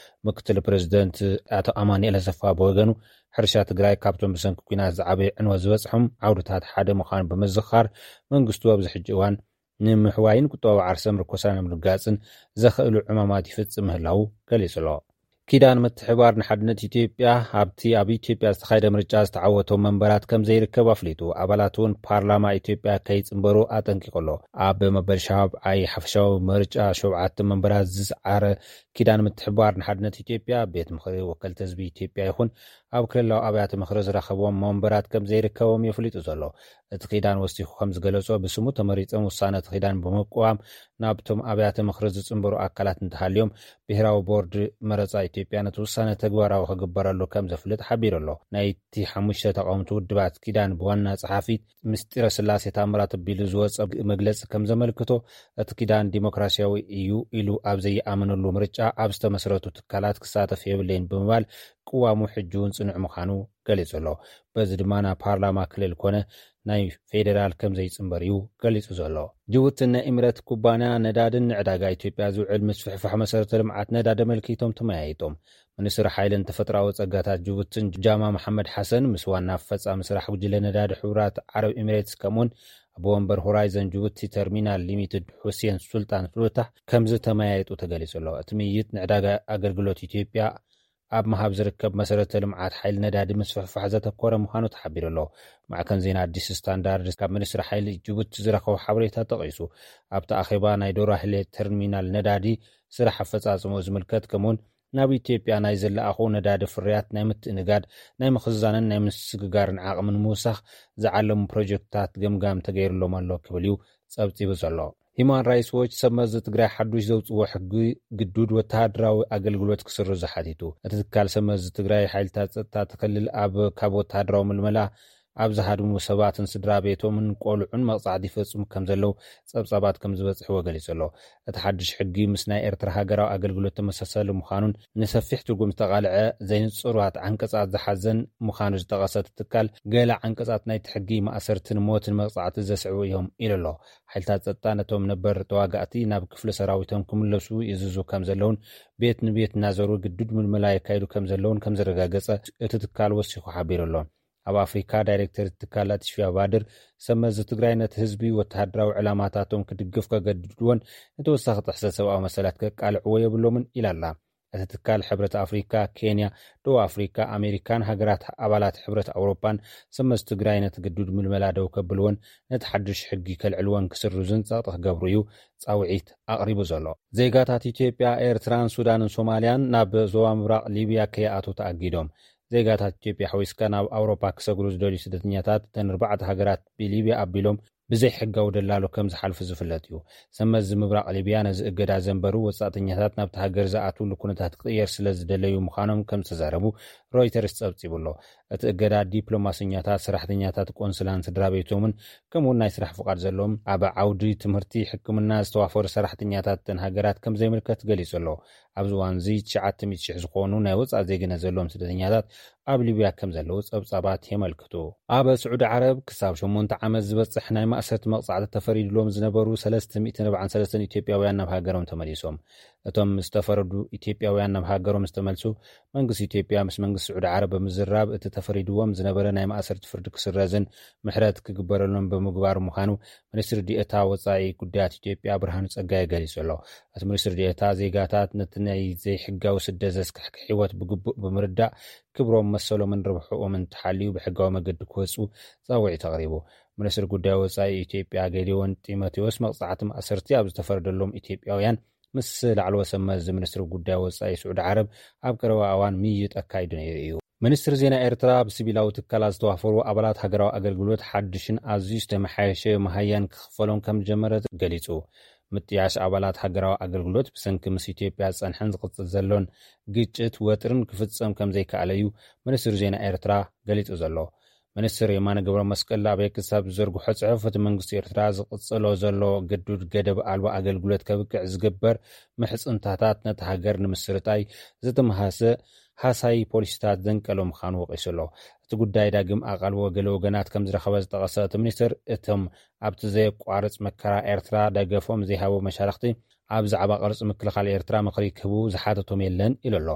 ምክትል ፕሬዚደንት ኣቶ ኣማኑኤል ኣሰፋ ብወገኑ፣ ሕርሻ ትግራይ ካብቶም ብሰንኪ ኲናት ዝዓበየ ዕንወት ዝበፅሖም ዓውድታት ሓደ ምዃኑ ብምዝኻር፣ መንግስቱ ኣብዚ ሕጂ እዋን ንምሕዋይን ቁጠባዊ ዓርሰ ምርኮሳ ንምርጋፅን ዘኽእሉ ዕማማት ይፍፅም ምህላው ገሊጹ ኣሎ። ኪዳን ምትሕባር ንሓድነት ኢትዮጵያ ኣብቲ ኣብ ኢትዮጵያ ዝተኻየደ ምርጫ ዝተዓወቶም መንበራት ከም ዘይርከብ ኣፍሊጡ፣ ኣባላት እውን ፓርላማ ኢትዮጵያ ከይጽንበሩ ኣጠንቂቑ ኣሎ። ኣብ መበል ሻብዓይ ሓፈሻዊ ምርጫ ሸውዓተ መንበራት ዝሰዓረ ኪዳን ምትሕባር ንሓድነት ኢትዮጵያ፣ ቤት ምኽሪ ወከልቲ ህዝቢ ኢትዮጵያ ይኹን ኣብ ክልላዊ ኣብያተ ምኽሪ ዝረኸቦም መንበራት ከም ዘይርከቦም የፍሊጡ ዘሎ። እቲ ኪዳን ወሲኹ ከም ዝገለጾ፣ ብስሙ ተመሪጾም ውሳነ እቲ ኪዳን ብምቅዋም ናብቶም ኣብያተ ምኽሪ ዝጽንበሩ ኣካላት እንተሃልዮም፣ ብሄራዊ ቦርድ መረጻ ኢትዮጵያ ነቲ ውሳነ ተግባራዊ ክግበረሉ ከም ዘፍልጥ ሓቢሩ ኣሎ። ናይቲ ሓሙሽተ ተቓወምቲ ውድባት ኪዳን ብዋና ጸሓፊ ምስጢረ ስላሴ ታምራት ኣቢሉ ዝወጸ መግለጺ ከም ዘመልክቶ፣ እቲ ኪዳን ዲሞክራሲያዊ እዩ ኢሉ ኣብ ዘይኣመነሉ ምርጫ ኣብ ዝተመስረቱ ትካላት ክሳተፍ የብለይን ብምባል ቅዋሙ ሕጂ እውን ጽኑዕ ምዃኑ ገሊጹ ኣሎ። በዚ ድማ ናብ ፓርላማ ክልል ኮነ ናይ ፌዴራል ከም ዘይጽንበር እዩ ገሊጹ ዘሎ። ጅቡትን ናይ ኢሚሬት ኩባንያ ነዳድን ንዕዳጋ ኢትዮጵያ ዝውዕል ምስፍሕፋሕ መሰረተ ልምዓት ነዳዲ ኣመልኪቶም ተመያይጦም። ሚኒስትር ሓይልን ተፈጥሮኣዊ ጸጋታት ጅቡትን ጃማ መሓመድ ሓሰን ምስ ዋና ኣፈጻሚ ስራሕ ጉጅለ ነዳዲ ሕቡራት ዓረብ ኢሚሬትስ ከምኡውን ኣቦ ወንበር ሆራይዘን ጅቡቲ ተርሚናል ሊሚትድ ሁሴን ሱልጣን ፍሉታህ ከምዚ ተመያይጡ ተገሊጹ ኣሎ። እቲ ምይይጥ ንዕዳጋ ኣገልግሎት ኢትዮጵያ ኣብ ምሃብ ዝርከብ መሰረተ ልምዓት ሓይሊ ነዳዲ ምስፍሕፋሕ ዘተኮረ ምዃኑ ተሓቢሩ ኣሎ። ማዕከን ዜና ኣዲስ ስታንዳርድ ካብ ሚኒስትሪ ሓይሊ ጅቡቲ ዝረኸቦ ሓበሬታ ጠቒሱ፣ ኣብቲ ኣኼባ ናይ ዶራህሌ ተርሚናል ነዳዲ ስራሕ ኣፈጻጽምኡ ዝምልከት፣ ከምኡውን ናብ ኢትዮጵያ ናይ ዝለኣኹ ነዳዲ ፍርያት ናይ ምትእንጋድ፣ ናይ ምኽዛንን ናይ ምስግጋርን ዓቕሚ ንምውሳኽ ዝዓለሙ ፕሮጀክትታት ገምጋም ተገይሩሎም ኣሎ ክብል እዩ ጸብጺቡ ዘሎ። ሂማን ራይትስ ዎች ሰብ መዚ ትግራይ ሓዱሽ ዘውፅዎ ሕጊ ግዱድ ወተሃደራዊ ኣገልግሎት ክስርዙ ሓቲቱ። እቲ ትካል ሰብ መዚ ትግራይ ሓይልታት ፀጥታ እቲ ክልል ኣብ ካብ ወተሃደራዊ ምልመላ ኣብ ዝሃድሙ ሰባትን ስድራ ቤቶምን ቆልዑን መቕፃዕቲ ይፈፅሙ ከም ዘለዉ ፀብፃባት ከም ዝበፅሕዎ ገሊጹ ኣሎ። እቲ ሓድሽ ሕጊ ምስ ናይ ኤርትራ ሃገራዊ ኣገልግሎት ተመሳሳሊ ምዃኑን ንሰፊሕ ትርጉም ዝተቓልዐ ዘይንጹራት ዓንቀጻት ዝሓዘን ምዃኑ ዝጠቐሰ እቲ ትካል፣ ገለ ዓንቀጻት ናይቲ ሕጊ ማእሰርትን ሞትን መቕጻዕቲ ዘስዕቡ እዮም ኢሉ ኣሎ። ሓይልታት ጸጥታ ነቶም ነበር ተዋጋእቲ ናብ ክፍሊ ሰራዊቶም ክምለሱ ይእዝዙ ከም ዘለውን ቤት ንቤት እናዘሩ ግዱድ ምልመላ የካይዱ ከም ዘለውን ከም ዘረጋገጸ እቲ ትካል ወሲኹ ሓቢሩ ኣሎ። ኣብ ኣፍሪካ ዳይሬክተር ትካላት ሽፊያ ባድር፣ ሰብ መዚ ትግራይ ነቲ ህዝቢ ወተሃደራዊ ዕላማታቶም ክድግፍ ከገድድዎን ንተወሳኺ ጥሕሰት ሰብኣዊ መሰላት ከቃልዕዎ የብሎምን ኢላ ኣላ። እቲ ትካል ሕብረት ኣፍሪካ፣ ኬንያ፣ ደቡብ ኣፍሪካ፣ ኣሜሪካን ሃገራት ኣባላት ሕብረት ኣውሮፓን ሰብ መዚ ትግራይ ነቲ ግዱድ ምልመላ ደው ከብልዎን ነቲ ሓዱሽ ሕጊ ከልዕልዎን ክስርዙን ጸቕጢ ክገብሩ እዩ ጻውዒት ኣቕሪቡ ዘሎ። ዜጋታት ኢትዮጵያ፣ ኤርትራን ሱዳንን ሶማልያን ናብ ዞባ ምብራቕ ሊብያ ከይኣትዉ ተኣጊዶም። ዜጋታት ኢትዮጵያ ሓዊስካ ናብ ኣውሮፓ ክሰግሩ ዝደልዩ ስደተኛታት እተን ኣርባዕተ ሃገራት ብሊብያ ኣቢሎም ብዘይ ሕጋዊ ደላሎ ከም ዝሓልፉ ዝፍለጥ እዩ። ሰብ መዚ ምብራቕ ሊብያ ነዚ እገዳ ዘንበሩ ወጻእተኛታት ናብቲ ሃገር ዝኣትውሉ ኩነታት ክቕየር ስለ ዝደለዩ ምዃኖም ከም ዝተዛረቡ ሮይተርስ ጸብጺቡ ኣሎ። እቲ እገዳ ዲፕሎማሰኛታት፣ ሰራሕተኛታት ቆንስላን ስድራ ቤቶምን ከምኡውን ናይ ስራሕ ፍቓድ ዘለዎም ኣብ ዓውዲ ትምህርቲ፣ ሕክምና ዝተዋፈሩ ሰራሕተኛታት እተን ሃገራት ከም ዘይምልከት ገሊጹ ኣሎ። ኣብዚ እዋን እዚ ትሽዓተ ሚእቲ ሽሕ ዝኾኑ ናይ ወጻኢ ዜግነት ዘለዎም ስደተኛታት ኣብ ሊብያ ከም ዘለዉ ጸብጻባት የመልክቱ። ኣብ ስዑዲ ዓረብ ክሳብ ሸሞንተ ዓመት ዝበጽሕ ናይ ማእሰርቲ መቕጻዕቲ ተፈሪድሎም ዝነበሩ ሰለስተ ሚእትን ኣርባዓን ሰለስተን ኢትዮጵያውያን ናብ ሃገሮም ተመሊሶም። እቶም ዝተፈረዱ ኢትዮጵያውያን ናብ ሃገሮም ዝተመልሱ መንግስቲ ኢትዮጵያ ምስ መንግስቲ ስዑዲ ዓረብ ብምዝራብ እቲ ተፈሪድዎም ዝነበረ ናይ ማእሰርቲ ፍርዲ ክስረዝን ምሕረት ክግበረሎም ብምግባሩ ምዃኑ ሚኒስትር ዲኤታ ወጻኢ ጉዳያት ኢትዮጵያ ብርሃኑ ጸጋይ ገሊጹ ኣሎ። እቲ ሚኒስትር ዲኤታ ዜጋታት ነቲ ናይ ዘይሕጋዊ ስደት ዘስካሕክሕ ህይወት ብግቡእ ብምርዳእ ክብሮም መሰሎምን ርብሕኦምን ተሓልዩ ብሕጋዊ መገዲ ክወጹ ጻውዒት ኣቕሪቡ። ሚኒስትር ጉዳይ ወጻኢ ኢትዮጵያ ጌዲዮን ጢሞቴዎስ መቕጻዕቲ ማእሰርቲ ኣብ ዝተፈረደሎም ኢትዮጵያውያን ምስ ላዕለዎ ሰብ መዚ ሚኒስትሪ ጉዳይ ወጻኢ ስዑዲ ዓረብ ኣብ ቀረባ እዋን ምይይጥ ኣካይዱ ነይሩ እዩ። ሚኒስትሪ ዜና ኤርትራ ብሲቪላዊ ትካላት ዝተዋፈሩ ኣባላት ሃገራዊ ኣገልግሎት ሓድሽን ኣዝዩ ዝተመሓየሸ መሃያን ክኽፈሎም ከም ዝጀመረ ገሊጹ። ምጥያሽ ኣባላት ሃገራዊ ኣገልግሎት ብሰንኪ ምስ ኢትዮጵያ ዝጸንሐን ዝቕጽል ዘሎን ግጭት ወጥርን ክፍጸም ከም ዘይከኣለ እዩ ሚኒስትሪ ዜና ኤርትራ ገሊጹ ዘሎ። ሚኒስትር የማነ ገብረ መስቀል ኣብ ኤክስ ኣብ ዝዘርግሖ ጽሑፍ፣ እቲ መንግስቲ ኤርትራ ዝቕጽሎ ዘሎ ግዱድ ገደብ ኣልባ ኣገልግሎት ከብቅዕ ዝግበር ምሕጽንታታት ነቲ ሃገር ንምስርጣይ ዝተመሃሰ ሃሳይ ፖሊሲታት ዘንቀሎ ምዃኑ ወቒሱ ኣሎ። እቲ ጉዳይ ዳግም ኣቓልቦ ገለ ወገናት ከም ዝረኸበ ዝጠቐሰ እቲ ሚኒስትር፣ እቶም ኣብቲ ዘየቋርጽ መከራ ኤርትራ ደገፎም ዘይሃቡ መሻርኽቲ ኣብ ዛዕባ ቅርጺ ምክልኻል ኤርትራ ምኽሪ ክህቡ ዝሓተቶም የለን ኢሉ ኣሎ።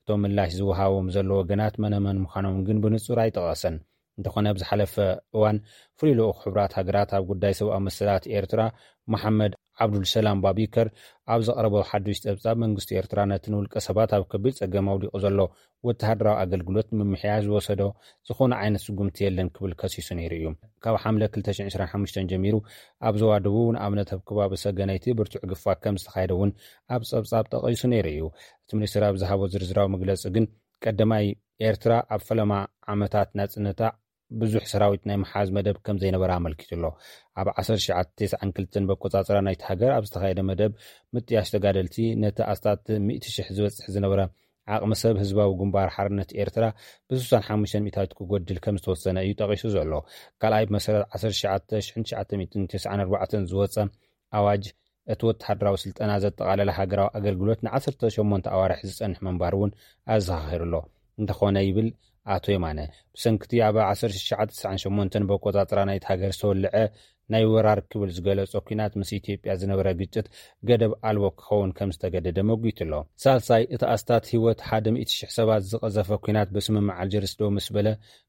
እቶም ምላሽ ዝወሃቦም ዘሎ ወገናት መነመን ምዃኖም ግን ብንጹር ኣይጠቐሰን። እንተኾነ፣ ኣብ ዝሓለፈ እዋን ፍሉይ ልኡኽ ሕቡራት ሃገራት ኣብ ጉዳይ ሰብኣዊ መሰላት ኤርትራ መሓመድ ዓብዱልሰላም ባቢከር ኣብ ዘቕረቦ ሓዱሽ ጸብጻብ፣ መንግስቲ ኤርትራ ነቲ ንውልቀ ሰባት ኣብ ከቢድ ጸገም ኣውዲቑ ዘሎ ወተሃደራዊ ኣገልግሎት ንምምሕያሽ ዝወሰዶ ዝኾነ ዓይነት ስጉምቲ የለን ክብል ከሲሱ ነይሩ እዩ። ካብ ሓምለ ክልተ ሽሕን ዕስራን ሓሙሽተን ጀሚሩ ኣብ ዞባ ደቡብ፣ ንኣብነት ኣብ ከባቢ ሰገነይቲ ብርቱዕ ግፋ ከም ዝተኻየደ እውን ኣብ ጸብጻብ ጠቒሱ ነይሩ እዩ። እቲ ሚኒስትር ኣብ ዝሃቦ ዝርዝራዊ መግለጺ ግን፣ ቀዳማይ፣ ኤርትራ ኣብ ፈለማ ዓመታት ናጽነታ ብዙሕ ሰራዊት ናይ ምሓዝ መደብ ከም ዘይነበራ ኣመልኪቱ ኣሎ። ኣብ ዓሰርተ ትሽዓተ ተስዓን ክልተን በቆጻጽራ ናይቲ ሃገር ኣብ ዝተኻየደ መደብ ምጥያሽ ተጋደልቲ፣ ነቲ ኣስታት ሚእቲ ሽሕ ዝበጽሕ ዝነበረ ዓቕሚ ሰብ ህዝባዊ ግንባር ሓርነት ኤርትራ ብ65% ክጎድል ከም ዝተወሰነ እዩ ጠቒሱ ዘሎ። ካልኣይ፣ ብመሰረት ዓሰርተ ትሽዓተ ሽሕን ትሽዓተ ሚእትን ተስዓን ኣርባዕተን ዝወጸ ኣዋጅ፣ እቲ ወተሃደራዊ ስልጠና ዘጠቓለለ ሃገራዊ ኣገልግሎት ንዓሰርተ ሸሞንተ ኣዋርሕ ዝጸንሕ ምንባሩ እውን ኣዘኻኺሩ ኣሎ። እንተኾነ፣ ይብል ኣቶ የማነ፣ ብሰንክቲ ኣብ ዓሰርተ ትሽዓተ ተስዓን ሸሞንተን በቆጻጽራ ናይቲ ሃገር ዝተወልዐ ናይ ወራር ክብል ዝገለጾ ኲናት ምስ ኢትዮጵያ ዝነበረ ግጭት ገደብ ኣልቦ ክኸውን ከም ዝተገደደ መጒቱ ኣሎ። ሳልሳይ፣ እቲ ኣስታት ህይወት ሓደ ሚእቲ ሽሕ ሰባት ዝቐዘፈ ኲናት ብስምምዕ ኣልጀርስ ደው ምስ በለ፣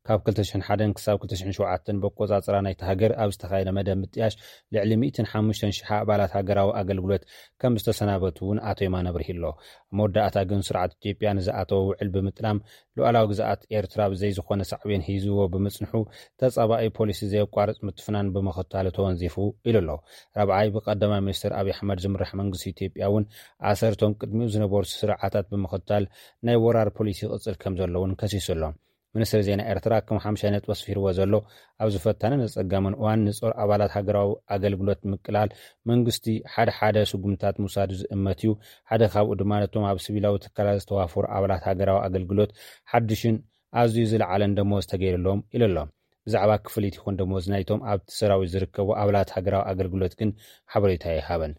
ካብ ክልተ ሽሕን ሓደን ክሳብ ክልተ ሽሕን ሸውዓተን በቆጻጽራ ናይቲ ሃገር ኣብ ዝተኻየደ መደብ ምጥያሽ፣ ልዕሊ ሚእትን ሓሙሽተን ሽሕ ኣባላት ሃገራዊ ኣገልግሎት ከም ዝተሰናበቱ እውን ኣቶ የማነ ኣብሪሁ ኣሎ። ኣብ መወዳእታ ግን፣ ስርዓት ኢትዮጵያ ንዝኣተዎ ውዕል ብምጥላም፣ ሉዓላዊ ግዝኣት ኤርትራ ብዘይ ዝኾነ ሳዕቤን ሒዝዎ ብምጽንሑ፣ ተጻባኢ ፖሊሲ ዘየቋርጽ ምትፍናን ብምኽታሉ ተወንዚፉ ኢሉ ኣሎ። ራብዓይ፣ ብቀዳማይ ሚኒስትር ኣብይ ኣሕመድ ዝምራሕ መንግስቲ ኢትዮጵያ እውን ኣሰርቶም ቅድሚኡ ዝነበሩ ስርዓታት ብምኽታል ናይ ወራር ፖሊሲ ይቕጽል ከም ዘሎ እውን ከሲሱ ኣሎ። ሚኒስትሪ ዜና ኤርትራ ከም ሓምሻይ ነጥቢ ኣስፊርዎ ዘሎ፣ ኣብዚ ፈታንን ኣጸጋምን እዋን ንጾር ኣባላት ሃገራዊ ኣገልግሎት ምቅላል መንግስቲ ሓደ ሓደ ስጉምታት ምውሳዱ ዝእመት እዩ። ሓደ ካብኡ ድማ ነቶም ኣብ ሲቪላዊ ትካላት ዝተዋፈሩ ኣባላት ሃገራዊ ኣገልግሎት ሓድሽን ኣዝዩ ዝለዓለን ደሞዝ ተገይርሎም ኢሉ ኣሎ። ብዛዕባ ክፍሊት ይኹን ደሞዝ ናይቶም ኣብቲ ሰራዊት ዝርከቡ ኣባላት ሃገራዊ ኣገልግሎት ግን ሓበሬታ ኣይሃበን።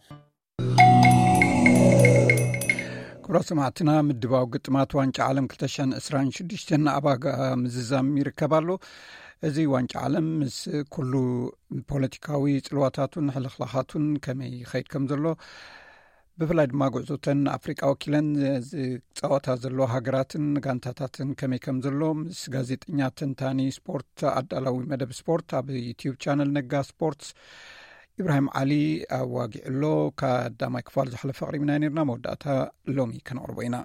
ክቡራት ሰማዕትና፣ ምድባዊ ግጥማት ዋንጫ ዓለም ክልተ ሽሕን ዕስራን ሽዱሽተን ኣብ ኣጋ ምዝዛም ይርከብ ኣሎ። እዚ ዋንጫ ዓለም ምስ ኩሉ ፖለቲካዊ ጽልዋታቱን ሕልኽላኻቱን ከመይ ይኸይድ ከም ዘሎ፣ ብፍላይ ድማ ጉዕዞተን ኣፍሪቃ ወኪለን ዝጻወታ ዘለዋ ሃገራትን ጋንታታትን ከመይ ከም ዘሎ ምስ ጋዜጠኛ ተንታኒ ስፖርት ኣዳላዊ መደብ ስፖርት ኣብ ዩቲዩብ ቻነል ነጋ ስፖርትስ ኢብራሂም ዓሊ ኣዋጊዕሎ። ቀዳማይ ክፋል ዝሓለፈ ኣቕሪብና ነርና፣ መወዳእታ ሎሚ ከነቕርቦ ኢና።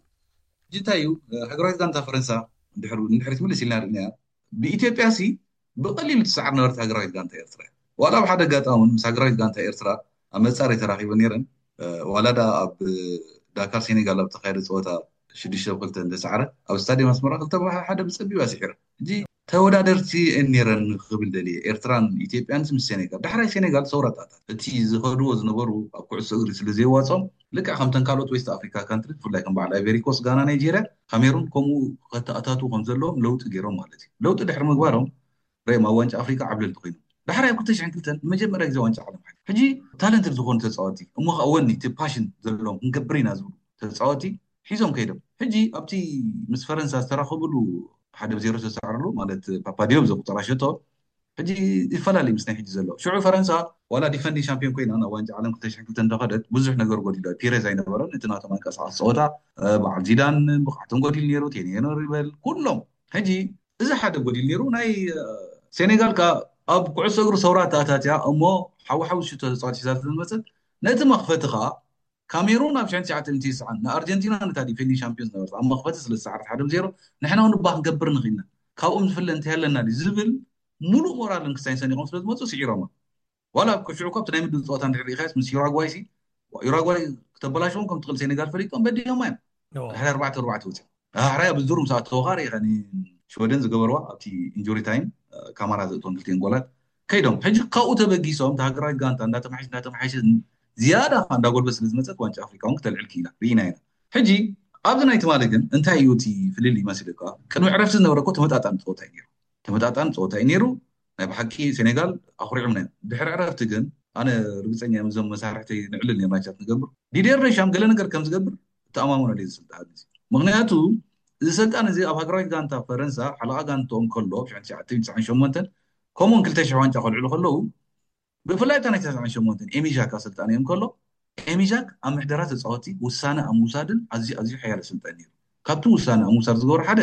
ሕጂ እንታይ እዩ፣ ሃገራዊት ጋንታ ፈረንሳ ድሕሪ ንድሕሪት ምልስ ኢልና ርኢናያ። ብኢትዮጵያ ሲ ብቐሊሉ ትሰዓር ነበረት ሃገራዊት ጋንታ ኤርትራ። ዋላ ኣብ ሓደ ኣጋጣሚ ምስ ሃገራዊት ጋንታ ኤርትራ ኣብ መጻረይ ተራኺበ ነይረን። ዋላ ዳ ኣብ ዳካር ሴኔጋል ኣብ ተኻየደ ጸወታ ሽዱሽተ ብ ክልተ እንተሰዓረ ኣብ ስታዲየም ኣስመራ ክልተ ብ ሓደ ብጸቢብ ኣስዒረ። ሕጂ ተወዳደርቲ እየን ነይረን ክብል ደልየ፣ ኤርትራን ኢትዮጵያን ምስ ሴኔጋል። ዳሕራይ ሴኔጋል ሰውራ ኣተኣታት። እቲ ዝኸድዎ ዝነበሩ ኣብ ኩዕሶ እግሪ ስለ ዘየዋጾም፣ ልክዕ ከምተን ካልኦት ዌስት ኣፍሪካ ካንትሪ፣ ብፍላይ ከም በዓል ኣይቨሪ ኮስት፣ ጋና፣ ናይጄርያ፣ ካሜሩን ከምኡ ከተኣታቱ ከም ዘለዎም ለውጢ ገይሮም ማለት እዩ። ለውጢ ድሕሪ ምግባሮም ርኦም ኣብ ዋንጫ ኣፍሪካ ዓብለልቲ ኮይኖም። ዳሕራይ ኣብ ክልተ ሽሕን ክልተን ንመጀመርያ ግዜ ዋንጫ ዓለም ሓ ሕጂ ታለንትድ ዝኾኑ ተፃወቲ እሞ ከዓ ወኒ እቲ ፓሽን ዘለዎም ክንገብር ኢና ዝብሉ ተፃወቲ ሒዞም ከይዶም። ሕጂ ኣብቲ ምስ ፈረንሳ ዝተራኸብሉ ሓደ ብዜሮ ዝተሰዓርሉ ማለት ፓፓዲዮብ ዘቁጠራ ሸቶ ሕጂ ይፈላለዩ ምስ ናይ ሕጂ ዘሎ። ሽዑ ፈረንሳ ዋላ ዲፈንዲንግ ሻምፒዮን ኮይና ናብ ዋንጫ ዓለም ክልተ ሽሕን ክልተን እንዳኸደት ብዙሕ ነገር ጎዲሉ። ፒሬዝ ኣይነበረን፣ እቲ ናቶም ኣንቀሳቐሲ ፀወታ በዓል ዚዳን ብቕዓቶም ጎዲሉ ነይሩ፣ ቴኔኖር ይበል ኩሎም። ሕጂ እዚ ሓደ ጎዲሉ ነይሩ። ናይ ሴኔጋል ከዓ ኣብ ኩዕሶ እግሪ ሰውራ ተኣታትያ እሞ ሓዊ ሓዊ ሽቶ ተፃዋት ሒዛ ስለዝመፀት ነቲ መኽፈቲ ከዓ ካሜሩን ኣብ ሽሕን ትሽዓተ ሚእቲ ይስዓን ንኣርጀንቲና ነታ ዲፌንዲንግ ሻምፒዮን ዝነበረት ኣብ መኽፈቲ ስለ ዝሰዓረት ሓደ ብዜሮ ንሕና እውን እባ ክንገብር ንኽኢልና፣ ካብኦም ዝፍለ እንታይ ኣለና ድዩ ዝብል ሙሉእ ሞራልን ክሳይን ሰኒቖም ስለ ዝመፁ ስዒሮማ። ዋላ ኣብ ሽዑ ካብቲ ናይ ምድብ ፀወታ እንድሕር ርኢኻዮስ ምስ ዩራጓይ ሲ ዩራጓይ ክተበላሽዎም ከም ትኽእል ሴኔጋል ፈሊጦም በዲሆማ እዮም። ድሕሪ ኣርባዕተ ኣርባዕተ ወፂኦም ኣሕራይ ኣብ ዝዱር ምስ ኣተወኻ ርኢኻ ሽወደን ዝገበርዋ ኣብቲ ኢንጁሪ ታይም ካማራ ዘእትዎም ክልቲኤን ጎላት ከይዶም። ሕጂ ካብኡ ተበጊሶም እቲ ሃገራዊት ጋንታ እንዳተማሓየሸ እንዳተማሓየሸ ዝያዳ እንዳጎልበት ስለ ዝመፀት ዋንጫ ኣፍሪካ እውን ክተልዕል ክኢላ ርኢና ኢና። ሕጂ ኣብዚ ናይ ትማሊ ግን እንታይ እዩ እቲ ፍልልይ መሲሉካ? ቅድሚ ዕረፍቲ ዝነበረ እኮ ተመጣጣኒ ፀወታ እዩ ነይሩ። ተመጣጣኒ ፀወታ እዩ ነይሩ። ናይ ብሓቂ ሴኔጋል ኣኹሪዖምና እዮም። ድሕሪ ዕረፍቲ ግን ኣነ ርግፀኛ እዮም እዞም መሳርሕተይ ንዕልል እዮም ራይቻት ንገብር ዲዴር ደሻም ገለ ነገር ከም ዝገብር እተኣማመነሉ እዩ ዝስልጣን እዚ። ምክንያቱ እዚ ሰልጣን እዚ ኣብ ሃገራዊት ጋንታ ፈረንሳ ሓለቓ ጋንትኦም ከሎ ሽሕን ትሽዓተ ሚእትን ትስዓን ሸሞንተን ከምኡውን ክልተ ሽሕ ዋንጫ ከልዕሉ ከለዉ ብፍላይ እታ ናይ ትስዓን ሸሞንተን ኤሚሻክ ኣሰልጣኒ እዮም ከሎ ኤሚሻክ ኣብ ምሕደራ ተፃወቲ ውሳነ ኣብ ምውሳድን ኣዝዩ ኣዝዩ ሓያል ኣሰልጣኒ ነይሩ። ካብቲ ውሳነ ኣብ ምውሳድ ዝገበሩ ሓደ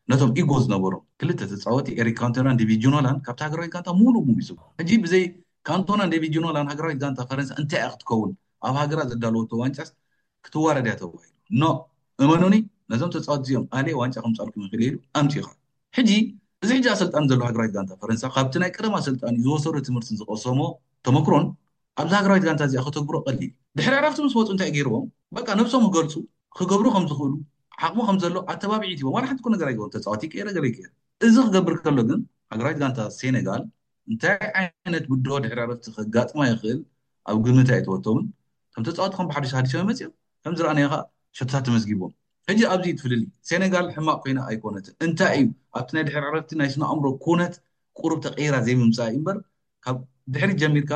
ነቶም ኢጎ ዝነበሮም ክልተ ተፃወቲ ኤሪክ ካንቶናን ዴቪድ ጁኖላን ካብቲ ሃገራዊት ጋንታ ሙሉእ ሙሉእ ይስቡ። ሕጂ ብዘይ ካንቶናን ዴቪድ ጁኖላን ሃገራዊት ጋንታ ፈረንሳ እንታይ እያ ክትከውን? ኣብ ሃገራ ዘዳለወቶ ዋንጫስ ክትዋረድ እያ ተባሂሉ። ኖ እመኑኒ፣ ነዞም ተፃወቲ እዚኦም ኣልየ ዋንጫ ከምፃልኩም ይኽእል ኢሉ ኣምፂኻ። ሕጂ እዚ ሕጂ ኣሰልጣኒ ዘሎ ሃገራዊት ጋንታ ፈረንሳ ካብቲ ናይ ቀደም ኣሰልጣኒ ዝወሰዶ ትምህርትን ዝቐሰሞ ተመክሮን ኣብዚ ሃገራዊት ጋንታ እዚኣ ከተግብሮ ቀሊል። ድሕሪ ዕረፍቲ ምስ መፁ እንታይ ገይርዎም? በቃ ነብሶም ክገልፁ ክገብሩ ከም ዝኽእሉ ዓቕሚ ከም ዘሎ ኣተባብዒት ሂቦም ዋላ ሓንቲ ነገር ኣይገበሩ። ተፃዋቲ ይቀየረ ገለ ይቀየር። እዚ ክገብር ከሎ ግን ሃገራዊት ጋንታ ሴኔጋል እንታይ ዓይነት ብድሆ ድሕሪ ዕረፍቲ ከጋጥማ ይኽእል ኣብ ግምት ኣይተወቶምን። ከም ተፃዋቲ ከም ብሓድሽ ሃዲሶም መፅኦም ከም ዝረኣናዮ ከዓ ሸቶታት ተመዝጊቦም። ሕጂ ኣብዚ ትፍልሊ ሴኔጋል ሕማቕ ኮይና ኣይኮነትን። እንታይ እዩ ኣብቲ ናይ ድሕሪ ዕረፍቲ ናይ ስነ ኣእምሮ ኩነት ቁሩብ ተቀይራ ዘይምምፃእ እዩ እምበር ካብ ድሕሪት ጀሚርካ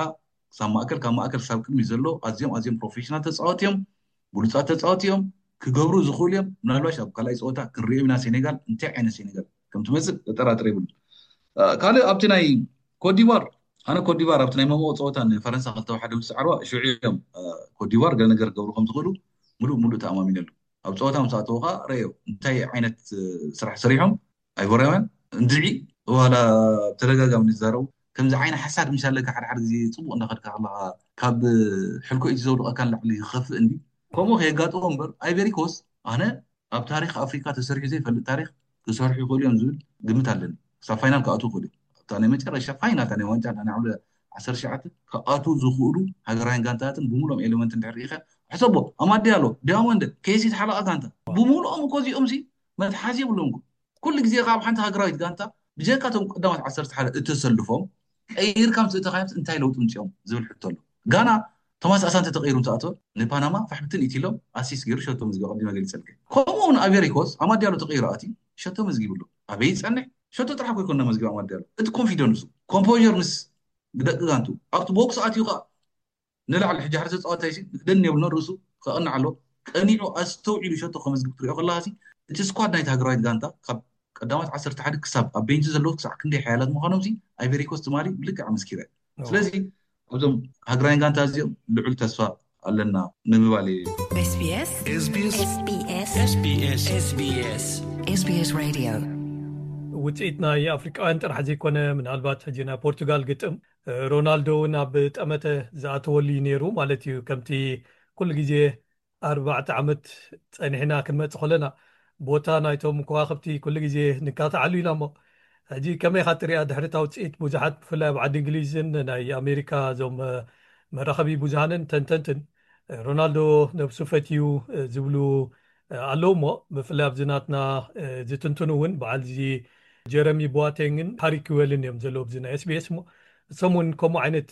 ክሳብ ማእከል ካብ ማእከል ክሳብ ቅድሚ ዘሎ ኣዝዮም ኣዝዮም ፕሮፌሽናል ተፃወቲ እዮም። ብሉፃት ተፃወቲ እዮም። ክገብሩ ዝኽእሉ እዮም። ምናልባሽ ኣብ ካልኣይ ፀወታ ክንሪኦ ኢና ሴኔጋል እንታይ ዓይነት ሴኔጋል ከም ትመፅእ ዘጠራጥር የብሉ። ካልእ ኣብቲ ናይ ኮትዲቫር ኣነ ኮትዲቫር ኣብቲ ናይ መምኦ ፀወታ ንፈረንሳ ክልተ ሓደ ምስ ሰዓርዋ ሽዑ እዮም ኮትዲቫር ገለ ነገር ክገብሩ ከም ዝኽእሉ ሙሉእ ሙሉእ ተኣማሚነሉ። ኣብ ፀወታ ምስ ኣተዉ ከዓ ረእዮ እንታይ ዓይነት ስራሕ ሰሪሖም ኣይቮራውያን እንድዒ ዋላ ብተደጋጋሚ ንዛረቡ ከምዚ ዓይነ ሓሳድ ምሽ ኣለካ ሓደ ሓደ ግዜ ፅቡቅ እንዳኸድካ ከለካ ካብ ሕልኮ እቲ ዘውድቀካ ንላዕሊ ይኸፍእ እንዲ ከምኡ ከየጋጥሞ እምበር ኣይቨሪኮስ ኣነ ኣብ ታሪክ ኣፍሪካ ተሰሪሑ ዘይፈልጥ ታሪክ ክሰርሑ ይኽእሉ እዮም ዝብል ግምት ኣለኒ። ክሳብ ፋይናል ክኣትዉ ይኽእሉ እዮም። ኣብታ ናይ መጨረሻ ፋይናል ናይ ዋንጫ ናይ ዓሰርተ ትሽዓተ ክኣትዉ ዝኽእሉ ሃገራውያን ጋንታታትን ብምሎም ኤሌመንት እንድሕር ርኢኻ ሕሰቦ ኣማድ ዲያሎ ዲያሞንድ ኬሲት ሓለቓ ጋንታ ብምልኦም እኮ እዚኦም ሲ መትሓዚ የብሎም። ኩሉ ግዜ ካብ ሓንቲ ሃገራዊት ጋንታ ብጀካ እቶም ቀዳማት ዓሰርተ ሓደ እተሰልፎም ቀይርካ ምስ እተኻዮም እንታይ ለውጢ ምፅኦም ዝብል ሕቶ ኣሎ። ጋና ቶማስ ኣሳንተ ተቀይሩ ምስ ኣተወ ንፓናማ ፋሕብትን ኢትሎም ኣሲስ ገይሩ ሸቶ መዝጊቡ ቀዲመ ገሊፀልከ። ከምኡ እውን ኣቬሪኮስ ኣማድ ዲያሎ ተቀይሩ ኣትዩ ሸቶ መዝጊብሉ። ኣበይ ይፀንሕ? ሸቶ ጥራሕ እኮ ይኮን መዝጊቡ ኣማድ ዲያሎ። እቲ ኮንፊደንሱ ኮምፖር ምስ ደቂ ጋንቱ ኣብቲ ቦክስ ኣትዩ ከዓ ንላዕሊ ሕጂ ሓደ ተፃዋታይ ሲ ደን የብልኖ ርእሱ ከቕንዕ ኣሎ። ቀኒዑ ኣስተውዒሉ ሸቶ ከመዝግብ ትሪኦ ከለካ ሲ እቲ ስኳድ ናይቲ ሃገራዊት ጋንታ ካብ ቀዳማት ዓሰርተ ሓደ ክሳብ ኣብ ቤንች ዘለዉ ክሳዕ ክንደይ ሓያላት ምዃኖም ሲ ኣይቨሪኮስ ትማሊ ብልክዕ ኣመስኪረ። ስለዚ ኣብዞም ሃገራውያን ጋንታ እዚኦም ልዑል ተስፋ ኣለና ንምባል እዩ። SBS SBS SBS SBS Radio ውፅኢት ናይ ኣፍሪቃውያን ጥራሕ ዘይኮነ ምናልባት ሕጂ ናይ ፖርቱጋል ግጥም ሮናልዶ እውን ኣብ ጠመተ ዝኣተወሉ እዩ ነይሩ ማለት እዩ። ከምቲ ኩሉ ግዜ ኣርባዕተ ዓመት ፀኒሕና ክንመፅእ ከለና ቦታ ናይቶም ከዋክብቲ ኩሉ ግዜ ንካትዓሉ ኢና እሞ ሕጂ ከመይ ኢኻ ትሪኣ ድሕሪ እታ ውፅኢት? ብዙሓት ብፍላይ ኣብ ዓዲ እንግሊዝን ናይ ኣሜሪካ እዞም መራኸቢ ብዙሃንን ተንተንትን ሮናልዶ ነብሱ ፈትዩ ዝብሉ ኣለዉ እሞ ብፍላይ ኣብዚ ናትና ዝትንትኑ እውን በዓል እዚ ጀረሚ ቦቴንግን ሃሪ ኪዌልን እዮም ዘለዉ ኣብዚ ናይ SBS እሞ እሶም እውን ከምኡ ዓይነት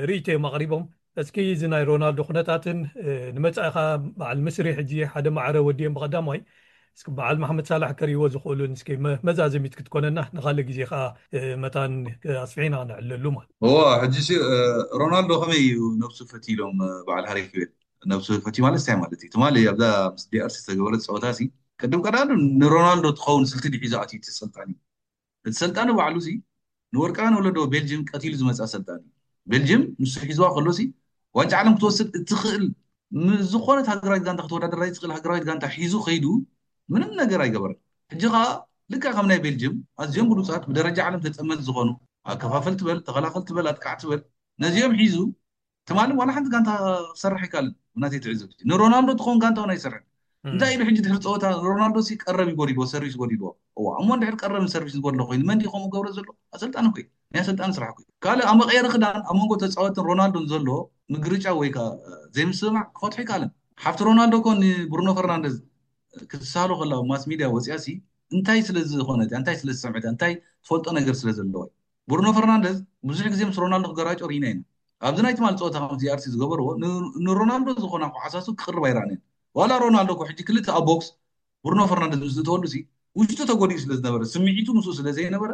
ርእይቶ እዮም ኣቕሪቦም። እስኪ እዚ ናይ ሮናልዶ ኩነታትን ንመጻኢኻ በዓል ምስሪ ሕጂ ሓደ ማዕረ ወዲኦም ብቐዳማይ እስኪ በዓል መሓመድ ሳላሕ ከርእይዎ ዝኽእሉን እስኪ መዛዘሚት ክትኮነና ንኻልእ ግዜ ከዓ መታን ኣስፊሒና ነዕለሉ ማለት እዋ ሕጂ ሮናልዶ ከመይ እዩ ነብሱ ፈትዩ ኢሎም በዓል ሃሪ ኪዌል ነብሱ ፈትዩ ማለት እንታይ ማለት እዩ ትማሊ ኣብዛ ምስ ዲኣርሲ ዝተገበረት ፀወታ ሲ ቅድም ቀዳዱ ንሮናልዶ ትኸውን ስልቲ ድሒዙ ኣትዩ እቲ ሰልጣኒ እቲ ሰልጣኒ ባዕሉ ሲ ንወርቃውያን ወለዶ ቤልጅም ቀቲሉ ዝመፅኣ ሰልጣኒ ቤልጅም ንሱ ሒዝዋ ከሎ ሲ ዋንጫ ዓለም ክትወስድ እትኽእል ምስ ዝኾነት ሃገራዊት ጋንታ ክትወዳደር ኣይትኽእል ሃገራዊት ጋንታ ሒዙ ከይዱ ምንም ነገር ኣይገበረን። ሕጂ ከዓ ልክዕ ከም ናይ ቤልጅም ኣዝዮም ብሉፃት ብደረጃ ዓለም ተፀመድ ዝኾኑ ኣከፋፈል ትበል ተኸላኸል ትበል ኣጥቃዕ ትበል ነዚኦም ሒዙ ትማሊ ዋላ ሓንቲ ጋንታ ክሰርሕ ኣይካልን ብናተይ ትዕዝብቲ ንሮናልዶ ትኸውን ጋንታ እውን ኣይሰርሕን እንታይ ኢሉ ሕጂ ድሕሪ ፀወታ ሮናልዶ ሲ ቀረብ ይጎዲልዎ ሰርቪስ ጎዲልዎ እዋ እሞ እንድሕር ቀረብን ሰርቪስ ዝጎድሎ ኮይኑ መን ከምኡ ገብረ ዘሎ ኣሰልጣኒ ኮይ ናይ ኣሰልጣኒ ስራሕ ኮይ ካልእ ኣብ መቀየሪ ክዳን ኣብ መንጎ ተፃወትን ሮናልዶን ዘሎ ምግርጫ ወይ ከዓ ዘይምስምማዕ ክፈትሑ ይካልን ሓፍቲ ሮናልዶ ኮ ንብሩኖ ፈርናንደዝ ክትሳሎ ከላ ማስ ሚድያ ወፅያ ሲ እንታይ ስለ ዝኾነት እንታይ ስለ ዝሰምዐት እንታይ ትፈልጦ ነገር ስለ ዘለዋ ብሩኖ ፈርናንደዝ ብዙሕ ግዜ ምስ ሮናልዶ ክገራጮ ርኢና ኢና ኣብዚ ናይ ትማሊ ፀወታ ከም ዚኣርሲ ዝገበርዎ ንሮናልዶ ዝኾና ኩዓሳሱ ክቅርብ ኣይረኣነን ዋላ ሮናልዶ ኮ ሕጂ ክልተ ኣብ ቦክስ ብሩኖ ፈርናንደዝ ምስ ዝእተወሉ ሲ ውሽጡ ተጎዲኡ ስለ ዝነበረ ስምዒቱ ምስኡ ስለ ዘይነበረ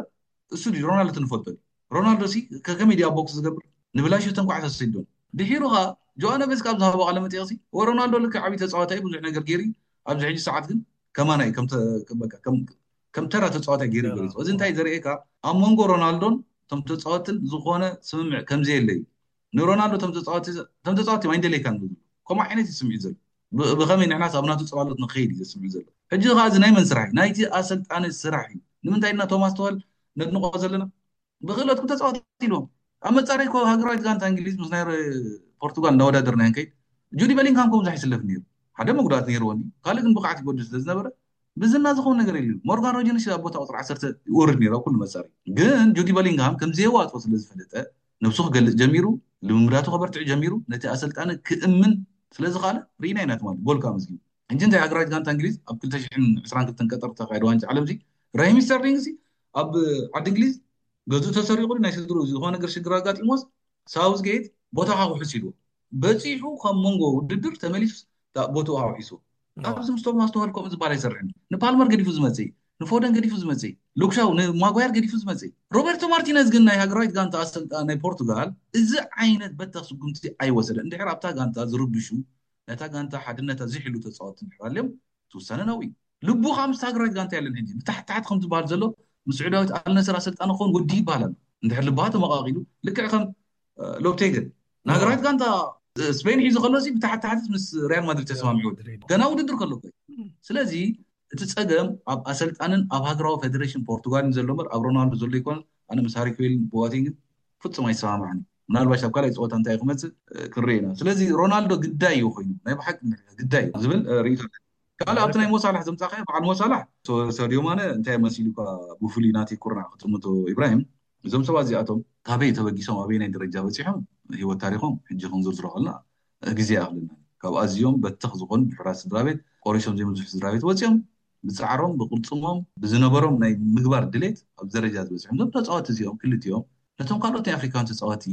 እሱ ድዩ ሮናልዶ ትንፈልጦ ድዩ ሮናልዶ ሲ ከከመይ ድዩ ኣብ ቦክስ ዝገብር ንብላሽተን ኩዓሳሱ ሰዲዶም ድሒሩ ከዓ ጆኣነ ቤስካ ኣብ ዝሃቦ ቃለ መጠየቅ ሲ ወሮናልዶ ልክዕ ዓብዪ ተፃዋታይ ብዙሕ ነገር ገይሩ ኣብዚ ሕጂ ሰዓት ግን ከማና እዩ ከም ተራ ተፃዋታይ ገይሩ ገሊፁ እዚ እንታይ ዘርእየካ ኣብ መንጎ ሮናልዶን እቶም ተፃወትን ዝኾነ ስምምዕ ከምዘየለ እዩ ንሮናልዶ እቶም ተፃወቲ እዮም ኣይንደለይካን ዝብሉ ከምኡ ዓይነት እዩ ስምዒት ዘሎ ብኸመይ ንሕናስ ኣብ ናቱ ፅላሎት ንክኸይድ እዩ ዘስምዒት ዘሎ ሕጂ ከዓ እዚ ናይ መን ስራሕ እዩ ናይቲ ኣሰልጣኒ ስራሕ እዩ ንምንታይ ኢልና ቶማስ ተዋል ነድንቆ ዘለና ብክእለትኩም ተፃወት ኢልዎም ኣብ መፃረይ ኮ ሃገራዊት ጋንታ እንግሊዝ ምስ ናይ ፖርቱጋል እንዳወዳደርና ንከይድ ጁዲ በሊንግሃም ኮ ብዙሕ ይስለፍ ነይሩ ሓደ መጉዳእቲ ነይርዎ እንዲ ካልእ ግን ብቅዓት ይጎድል ስለ ዝነበረ ብዝና ዝኸውን ነገር የለ ሞርጋን ሮጀርስ ኣብ ቦታ ቁፅሪ ዓሰርተ ይወርድ ነይሩ ኣብ ኩሉ መፃረይ ግን ጁዲ በሊንግሃም ከም ዘየዋፅኦ ስለ ዝፈለጠ ነብሱ ክገልፅ ጀሚሩ ልምምዳቱ ከበርትዕ ጀሚሩ ነቲ ኣሰልጣኒ ክእምን ስለ ዝኻለ ርኢና ኢና ትማሊ ጎል ከዓ ኣመዝጊቡ ሕጂ እንታይ ሃገራዊት ጋንታ እንግሊዝ ኣብ ክልተ ሽሕን ዕስራን ክልተን ቀጠር ዝተኻየደ ዋንጫ ዓለም እዚ ራሂም ስተርሊንግ እዚ ኣብ ዓዲ እንግሊዝ ገዝኡ ተሰሪቑ ናይ ስድርኡ ዝኾነ ነገር ሽግር ኣጋጢሞስ ሳውዝጌት ቦታኻ ውሕስ ኢልዎ በፂሑ ካብ መንጎ ውድድር ተመሊሱ ቦትኡ ኣውሒስዎ ኣብዚ ምስ ቶማስ ቱኸል ከምኡ ዝበሃል ኣይሰርሕን ንፓልመር ገዲፉ ዝመፅእ ንፎደን ገዲፉ ዝመፅእ ሉክሻው ንማጓየር ገዲፉ ዝመፅእ ሮበርቶ ማርቲነዝ ግን ናይ ሃገራዊት ጋንታ ኣሰልጣ ናይ ፖርቱጋል እዚ ዓይነት በተኽ ስጉምቲ ኣይወሰደ እንድሕር ኣብታ ጋንታ ዝርብሹ ነታ ጋንታ ሓድነታ ዝሕሉ ተፃወቲ እንድሕር ኣልዮም ትውሳነ ናብኡ እዩ ልቡ ከዓ ምስ ሃገራዊት ጋንታ የለን ሕጂ ብታሕቲ ታሕቲ ከም ዝበሃል ዘሎ ምስ ስዑዳዊት ኣልነስር ኣሰልጣኒ ክኸውን ወዲ ይበሃል ኣሎ እንድሕር ልብሃ ተመቃቂሉ ልክዕ ከም ሎፕቴገን ንሃገራዊት ጋንታ ስፔን ሒዙ ከሎ ብታሕቲ ታሕቲ ምስ ሪያል ማድሪድ ተስማሚዑ ገና ውድድር ከሎ ኮይ ስለዚ እቲ ፀገም ኣብ ኣሰልጣንን ኣብ ሃገራዊ ፌደሬሽን ፖርቱጋልን ዘሎ በር ኣብ ሮናልዶ ዘሎ ይኮነ ኣነ ምስ ሃሪኩዌልን ቦዋቲንግን ፍፁም ኣይሰማማዕን ምናልባሽ ኣብ ካልኣይ ፀወታ እንታይ ክመፅእ ክንርኢ ኢና ስለዚ ሮናልዶ ግዳይ እዩ ኮይኑ ናይ ብሓቂ ግዳይ እዩ ዝብል ርእቶ ካልእ ኣብቲ ናይ ሞሳላሕ ዘምፃእካዮ በዓል ሞሳላሕ ሰድዮ ማነ እንታይ መሲሉካ ብፍሉይ ናተይ ኩርናዕ ክጥምቶ ኢብራሂም እዞም ሰባት እዚኣቶም ካበይ ተበጊሶም ኣበይ ናይ ደረጃ በፂሖም ህይወት ታሪኮም ሕጂ ክንዝርዝሮ ከልና ግዜ ይኣኽለና ካብ ኣዝዮም በተኽ ዝኾኑ ድሑራት ስድራ ቤት ቆሪሶም ዘይምዝሑ ስድራ ቤት ወፂኦም ብፃዕሮም ብቅልፅሞም ብዝነበሮም ናይ ምግባር ድሌት ኣብ ደረጃ ዝበፅሑ እዞም ተፃወቲ እዚኦም ክልቲኦም ነቶም ካልኦት ናይ ኣፍሪካውያን ተፃወቲ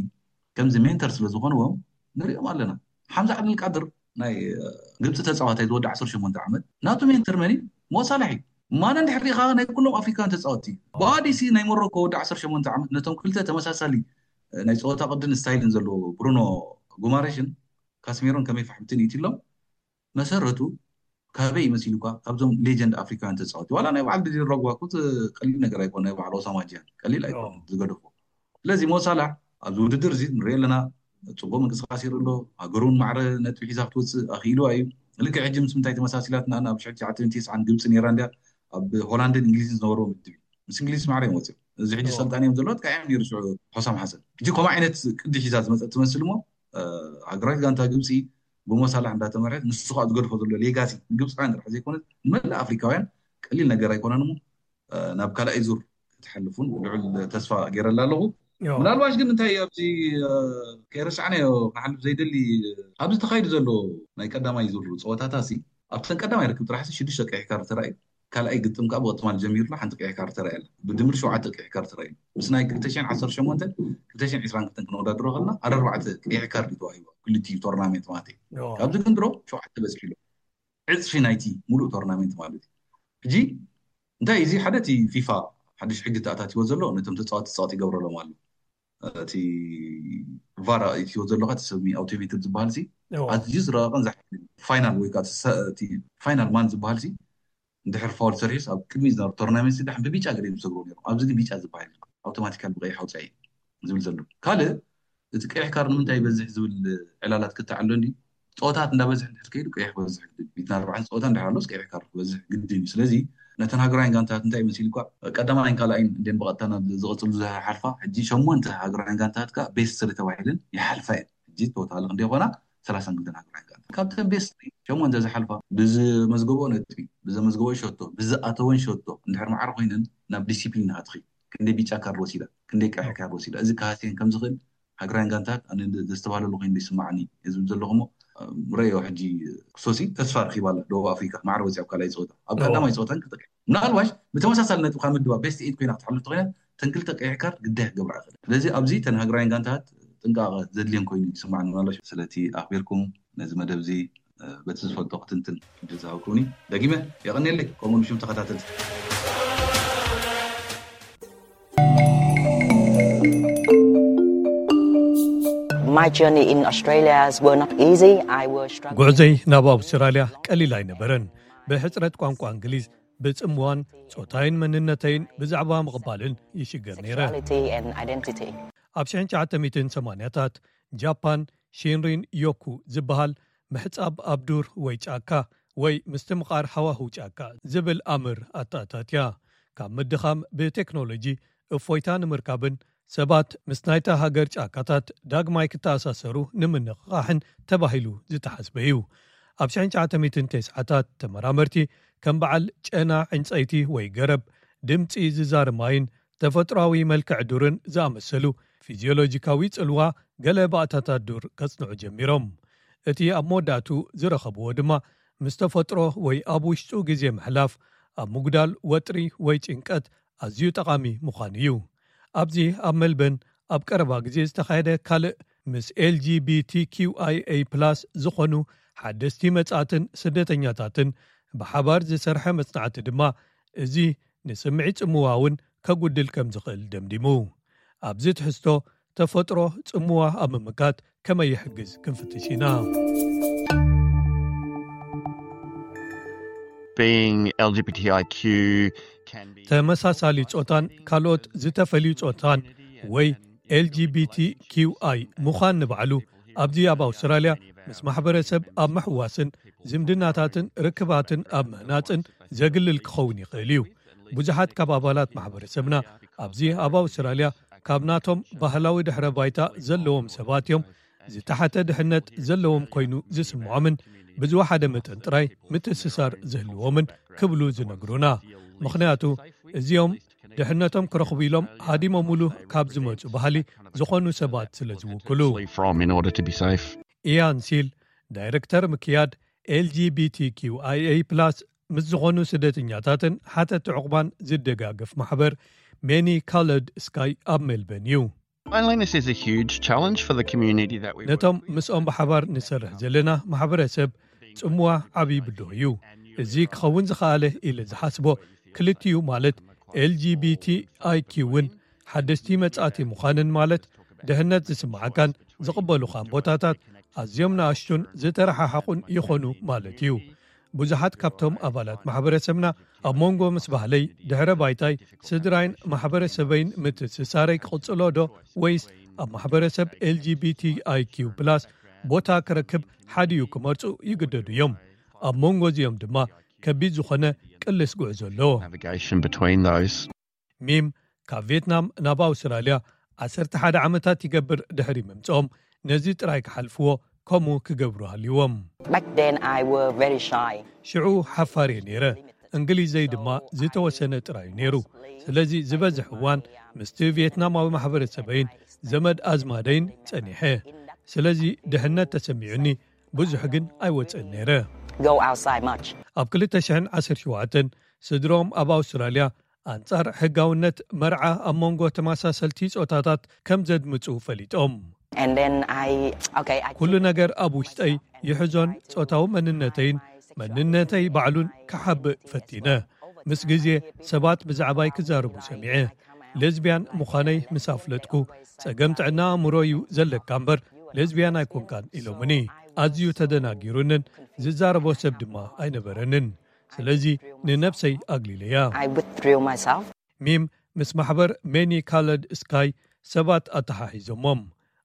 ከምዚ ሜንተር ስለ ዝኾንዎም ንሪኦም ኣለና። ሓምዛ ዓብደልቃድር ናይ ግብፂ ተፃዋታይ ዝወዲ ዓሰርተ ሸሞንተ ዓመት ናቱ ሜንተር መን እዩ? ሞሳላሕ እዩ። ማነ እንድሕር ሪኢኻ ናይ ኩሎም ኣፍሪካውያን ተፃወቲ ብኣዲሲ ናይ ሞሮኮ ወዲ ዓሰርተ ሸሞንተ ዓመት ነቶም ክልተ ተመሳሳሊ ናይ ፀወታ ቅድን ስታይልን ዘለዎ ብሩኖ ጉማሬሽን ካስሜሮን ከመይ ፋሕምትን ኢትሎም መሰረቱ ካበይ ይመሲሉካ ካብዞም ሌጀንድ ኣፍሪካውያን ተፃወቲ ዋላ ናይ በዓል ድዲ ረጓ ኩት ቀሊል ነገር ኣይኮነ ናይ በዓል ኦሳማ ጂያን ቀሊል ኣይኮነ ዝገደፎ ስለዚ ሞሳላሕ ኣብዚ ውድድር እዚ ንሪኦ ኣለና ፅቡቅ ምንቅስቃስ ይርኢ ኣሎ ሃገሩን ማዕረ ነጥቢ ሒዛ ክትወፅእ ኣኽኢሉ እዩ ልክዕ ሕጂ ምስ ምንታይ ተመሳሲላት ንኣና ኣብ ሽሕቲ ትሽዓተ ሚእትን ተስዓን ግብፂ ነይራ እንድያ ኣብ ሆላንድን እንግሊዝን ዝነበርዎ ምድብ እዩ ምስ እንግሊዝ ማዕረ እዮም ወፅኦም እዚ ሕጂ ሰልጣን እዮም ዘለዋ ጥቃ እዮም ነይሩ ሽዑ ሆሳም ሓሰን ሕጂ ከምኡ ዓይነት ቅዲ ሒዛ ዝመፀት ትመስል እሞ ሃገራዊት ጋንታ ግብፂ ብሞሳላሕ እንዳተመርሐት ንሱ ከዓ ዝገድፎ ዘሎ ሌጋሲ ንግብፃውያን ጥራሕ ዘይኮነት ንመላእ ኣፍሪካውያን ቀሊል ነገር ኣይኮነን እሞ ናብ ካልኣይ ዙር ክትሓልፉን ልዑል ተስፋ ገይረላ ኣለኹ ምናልባሽ ግን እንታይ ኣብዚ ከይረሳዕናዮ ክሓልፍ ዘይደሊ ኣብዚ ተኻይዱ ዘሎ ናይ ቀዳማይ ዙር ፀወታታ ሲ ኣብተን ቀዳማይ ርክብ ጥራሕ ሽዱሽተ ቀይሕ ካርድ ተራእዩ ካልኣይ ግጥም ከዓ ብቅጥማል ጀሚሩ ሓንቲ ቀይሕ ካርድ ተራእያ ብድምር ሸውዓተ ቀይሕ ካርድ ተራእዩ ምስ ናይ ክልተ ሽሕን ዓሰርተ ሸሞንተን ክልተ ሽሕን ዕስራን ክልተን ክንወዳድሮ ከለና ኣርባዕተ ቀይሕ ካርድ ተዋሂቡ ክልቲኡ ቶርናሜንት ማለት እዩ ካብዚ ክንድሮ ሸውዓተ በፂሑ ኣሎ ዕፅፊ ናይቲ ሙሉእ ቶርናሜንት ማለት እዩ ሕጂ እንታይ እዚ ሓደ እቲ ፊፋ ሓድሽ ሕጊ ተኣታትዎ ዘሎ ነቶም ተፃወቲ ፀቕጢ ይገብረሎም ኣሎ እቲ ቫራ እትዎ ዘለካ እቲ ሰብ ኣውቶሜትድ ዝበሃል ሲ ኣዝዩ ዝረቐቀን ዝሓ ፋይናል ወይ ከዓ ፋይናል ማን ዝበሃል ሲ እንድሕር ፋውል ሰሪሑስ ኣብ ቅድሚ ዝነበሩ ቶርናሜንት ዳሕን ብቢጫ ገለ ዝሰግሩ ነይሮም ኣብዚ ግን ቢጫ ዝበሃል ኣውቶማቲካል ብቀይሕ ኣውፅኣ ዝብል ዘሎ ካልእ እቲ ቀይሕ ካር ንምንታይ ይበዝሕ ዝብል ዕላላት ክተዓሎ እንዲ ፀወታት እንዳበዝሕ እንድሕር ከይዱ ቀይሕ ክበዝሕ ግድን እዩ። ሚእትን ኣርባዕተን ፀወታ እንድሕር ኣሎስ ቀይሕ ካር ክበዝሕ ግድን እዩ። ስለዚ ነተን ሃገራውያን ጋንታታት እንታይ ይመስል እኳ ቀዳማይን ካልኣይን እንዴን ብቐጥታ ናብ ዝቐፅሉ ዝሓልፋ ሕጂ ሸሞንተ ሃገራውያን ጋንታታት ከዓ ቤስት ስሪ ተባሂለን ይሓልፋ እየን። ሕጂ ቶታል ክንደይ ይኾና? ሰላሳን ክልተን ሃገራውያን ጋንታ ካብተን ቤስት ስሪ ሸሞንተ ዝሓልፋ ብዝመዝገበኦ ነጥቢ ብዘመዝገበኦ ሸቶ ብዝኣተወን ሸቶ እንድሕር ማዕረ ኮይነን ናብ ዲሲፕሊን ሃትኺ ክንደይ ቢጫ ካርድ ወሲዳ ክንደይ ቀይሕ ካርድ ወሲዳ እዚ ክሃስየን ከምዝኽእል ሃገራውያን ጋንታት ኣነ ዘስተባህለሉ ኮይኑ ይስማዓኒ እየ ዝብል ዘለኹ እሞ ረዮ ሕጂ ክሶሲ ተስፋ ረኺባ ኣላ ደቡብ ኣፍሪካ ማዕረ ወፂኣ ኣብ ካልኣይ ፀወታ ኣብ ቀዳማይ ፀወታን ክልተ ቀይሕ ምናልባሽ ብተመሳሳሊ ነጥቢ ካብ ምድባ ቤስት ኤይት ኮይና ክትሓልፍ ተኮይና ተን ክልተ ቀይሕ ካርድ ግዳይ ክገብራ ይኽእል ስለዚ ኣብዚ ተን ሃገራውያን ጋንታት ጥንቃቐ ዘድልየን ኮይኑ ይስማዓኒ ምናልባሽ ስለቲ ኣኽቢርኩም ነዚ መደብ እዚ በቲ ዝፈልጦ ክትንትን ዕድል ዝሃብኩኒ ደጊመ የቐንየለይ ከምኡ ንሽም ተኸታተልቲ My journey in Australia were not easy. I was struggling. ጉዕዘይ ናብ ኣውስትራልያ ቀሊል ኣይነበረን። ብሕፅረት ቋንቋ እንግሊዝ፣ ብፅምዋን ፆታይን መንነተይን ብዛዕባ ምቕባልን ይሽገር ነይረ። Sexuality and identity. ኣብ ሽሕን ትሽዓተ ሚእትን ሰማንያታት ጃፓን ሺንሪን ዮኩ ዝበሃል ምሕፃብ ኣብ ዱር ወይ ጫካ ወይ ምስትምቓር ሃዋህው ጫካ ዝብል ኣምር ኣተኣታትያ። ካብ ምድኻም ብቴክኖሎጂ እፎይታ ንምርካብን ሰባት ምስ ናይታ ሃገር ጫካታት ዳግማይ ክተኣሳሰሩ ንምንቕቓሕን ተባሂሉ ዝተሓስበ እዩ። ኣብ ሽሕን ትሽዓተ ሚእትን ተስዓታት ተመራመርቲ ከም በዓል ጨና ዕንፀይቲ ወይ ገረብ፣ ድምፂ ዝዛር ማይን ተፈጥሮኣዊ መልክዕ ዱርን ዝኣመሰሉ ፊዝዮሎጂካዊ ጽልዋ ገለ ባእታታት ዱር ከጽንዑ ጀሚሮም። እቲ ኣብ መወዳእቱ ዝረኸብዎ ድማ ምስ ተፈጥሮ ወይ ኣብ ውሽጡ ግዜ ምሕላፍ ኣብ ምጉዳል ወጥሪ ወይ ጭንቀት ኣዝዩ ጠቓሚ ምዃኑ እዩ። ኣብዚ ኣብ መልበን ኣብ ቀረባ ግዜ ዝተኻየደ ካልእ ምስ ኤልጂቢቲኪውኣይኤ ፕላስ ዝኾኑ ሓደስቲ መጻእትን ስደተኛታትን ብሓባር ዝሰርሐ መጽናዕቲ ድማ እዚ ንስምዒት ጽምዋ እውን ከጉድል ከም ዝኽእል ደምዲሙ። ኣብዚ ትሕዝቶ ተፈጥሮ ጽምዋ ኣብ ምምካት ከመይ ይሕግዝ ክንፍትሽ ኢና። Being L G B T I Q can be ተመሳሳሊ ጾታን ካልኦት ዝተፈልዩ ጾታን ወይ ኤልጂቢቲኪውኣይ ምዃን ንባዕሉ ኣብዚ ኣብ ኣውስትራልያ ምስ ማሕበረሰብ ኣብ ምሕዋስን ዝምድናታትን ርክባትን ኣብ ምህናጽን ዘግልል ክኸውን ይኽእል እዩ። ብዙሓት ካብ ኣባላት ማሕበረሰብና ኣብዚ ኣብ ኣውስትራልያ ካብ ናቶም ባህላዊ ድሕረ ባይታ ዘለዎም ሰባት እዮም። ዝተሓተ ድሕነት ዘለዎም ኮይኑ ዝስምዖምን ብዝወሓደ መጠን ጥራይ ምትእስሳር ዝህልዎምን ክብሉ ዝነግሩና። ምኽንያቱ እዚኦም ድሕነቶም ክረኽቡ ኢሎም ሃዲሞምሉ ካብ ዝመጹ ባህሊ ዝኾኑ ሰባት ስለ ዝውክሉ። From in order to be safe. ኢያን ሲል ዳይረክተር ምክያድ ኤልጂቢቲኪውኣይኤ ፕላስ ምስ ዝኾኑ ስደተኛታትን ሓተቲ ዕቑባን ዝደጋገፍ ማሕበር ሜኒ ካለድ ስካይ ኣብ ሜልበን እዩ። Loneliness is a huge challenge for the community that we ነቶም ምስኦም ብሓባር ንሰርሕ ዘለና ማሕበረሰብ ጽምዋ ዓብዪ ብድሆ እዩ። እዚ ክኸውን ዝኸኣለ ኢለ ዝሓስቦ ክልቲኡ ማለት ኤልጂቢቲኣይኪ እውን ሓደስቲ መጻእቲ ምዃንን ማለት ድሕነት ዝስምዓካን ዝቕበሉኻን ቦታታት ኣዝዮም ንኣሽቱን ዝተረሓሓቑን ይኾኑ ማለት እዩ። ብዙሓት ካብቶም ኣባላት ማሕበረሰብና ኣብ መንጎ ምስ ባህለይ ድሕረ ባይታይ ስድራይን ማሕበረሰበይን ምትእስሳረይ ክቕጽሎ ዶ ወይስ ኣብ ማሕበረሰብ ኤልጂቢቲኣይኪ ፕላስ ቦታ ክረክብ ሓዲኡ ክመርጹ ይግደዱ እዮም። ኣብ መንጎ እዚኦም ድማ ከቢድ ዝኾነ ቅልስ ጉዕዞ ኣሎ። navigation between those. ሚም ካብ ቪየትናም ናብ ኣውስትራልያ ዓሰርተ ሓደ ዓመታት ይገብር ድሕሪ ምምጽኦም ነዚ ጥራይ ክሓልፍዎ ከምኡ ክገብሩ ሃልዎም። Back then, I were very shy. ሽዑ ሓፋር እየ ነይረ። እንግሊዘይ ድማ ዝተወሰነ ጥራይ እዩ ነይሩ። ስለዚ ዝበዝሕ እዋን ምስቲ ቪየትናማዊ ማሕበረሰበይን ዘመድ ኣዝማደይን ጸኒሐ። ስለዚ ድሕነት ተሰሚዑኒ ብዙሕ ግን ኣይወፅእን ነይረ። Go outside much. ኣብ ክልተ ሽሕን ዓሰርተ ሸውዓተን ስድሮም ኣብ ኣውስትራልያ ኣንጻር ሕጋውነት መርዓ ኣብ መንጎ ተመሳሰልቲ ጾታታት ከም ዘድምጹ ፈሊጦም። And then I, okay, I ኩሉ ነገር ኣብ ውሽጠይ ይሕዞን ጾታዊ መንነተይን መንነተይ ባዕሉን ክሓብእ ፈቲነ። ምስ ግዜ ሰባት ብዛዕባይ ክዛረቡ ሰሚዐ። ሌዝቢያን ምዃነይ ምስ ኣፍለጥኩ፣ ጸገም ጥዕና ኣእምሮ እዩ ዘለካ እምበር ሌዝቢያን ኣይኮንካን ኢሎምኒ። ኣዝዩ ተደናጊሩንን ዝዛረቦ ሰብ ድማ ኣይነበረንን። ስለዚ ንነብሰይ ኣግሊለያ። I withdrew myself. ሚም ምስ ማሕበር ሜኒ ካለድ ስካይ ሰባት ኣተሓሒዞሞም።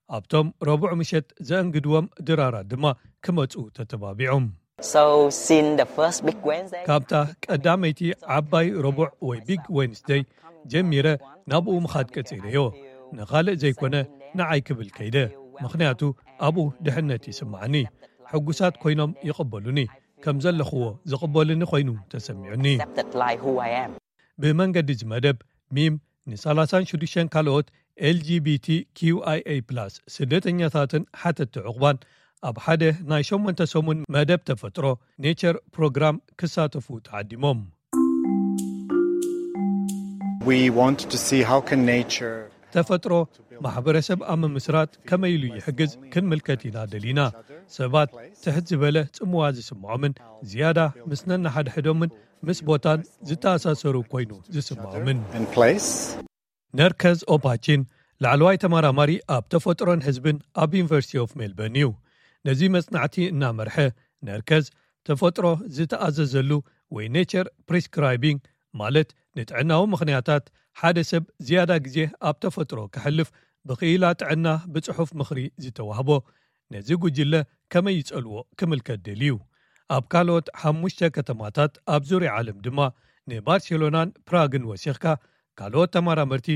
ኣብቶም ረቡዕ ምሸት ዘእንግድዎም ድራራት ድማ ክመጹ ተተባቢዖም። So since the first big Wednesday, ካብታ ቀዳመይቲ ዓባይ ረቡዕ ወይ ቢግ ዌንስደይ ጀሚረ ናብኡ ምኻድ ቀጺለዮ። ንኻልእ ዘይኮነ ንዓይ ክብል ከይደ፣ ምኽንያቱ ኣብኡ ድሕነት ይስምዓኒ። ሕጉሳት ኮይኖም ይቕበሉኒ፣ ከም ዘለኽዎ ዝቕበሉኒ ኮይኑ ተሰሚዑኒ። Accepted like who I am. ብመንገዲ እዚ መደብ ሚም ን36 ካልኦት ኤልጂቢቲ ኪውኣይኤ ፕላስ ስደተኛታትን ሓተቲ ዕቑባን ኣብ ሓደ ናይ ሸሞንተ ሰሙን መደብ ተፈጥሮ ኔቸር ፕሮግራም ክሳተፉ ተዓዲሞም። We want to see how can nature ተፈጥሮ ማሕበረሰብ ኣብ ምምስራት ከመይ ኢሉ ይሕግዝ ክንምልከት ኢና ደሊና። ሰባት ትሕት ዝበለ ጽምዋ ዝስምዖምን ዝያዳ ምስ ነንሓድሕዶምን ምስ ቦታን ዝተኣሳሰሩ ኮይኑ ዝስምዖምን። and place. ነርከዝ ኦፓቺን ላዕለዋይ ተመራማሪ ኣብ ተፈጥሮን ህዝብን ኣብ ዩኒቨርሲቲ ኦፍ ሜልበርን እዩ። ነዚ መጽናዕቲ እናመርሐ ነርከዝ ተፈጥሮ ዝተኣዘዘሉ ወይ ኔቸር ፕሪስክራይቢንግ ማለት ንጥዕናዊ ምኽንያታት ሓደ ሰብ ዝያዳ ግዜ ኣብ ተፈጥሮ ክሕልፍ ብኽኢላ ጥዕና ብጽሑፍ ምኽሪ ዝተዋህቦ ነዚ ጉጅለ ከመይ ይጸልዎ ክምልከት ደልዩ። ኣብ ካልኦት ሓሙሽተ ከተማታት ኣብ ዙርያ ዓለም ድማ ንባርሴሎናን ፕራግን ወሲኽካ ካልኦት ተመራመርቲ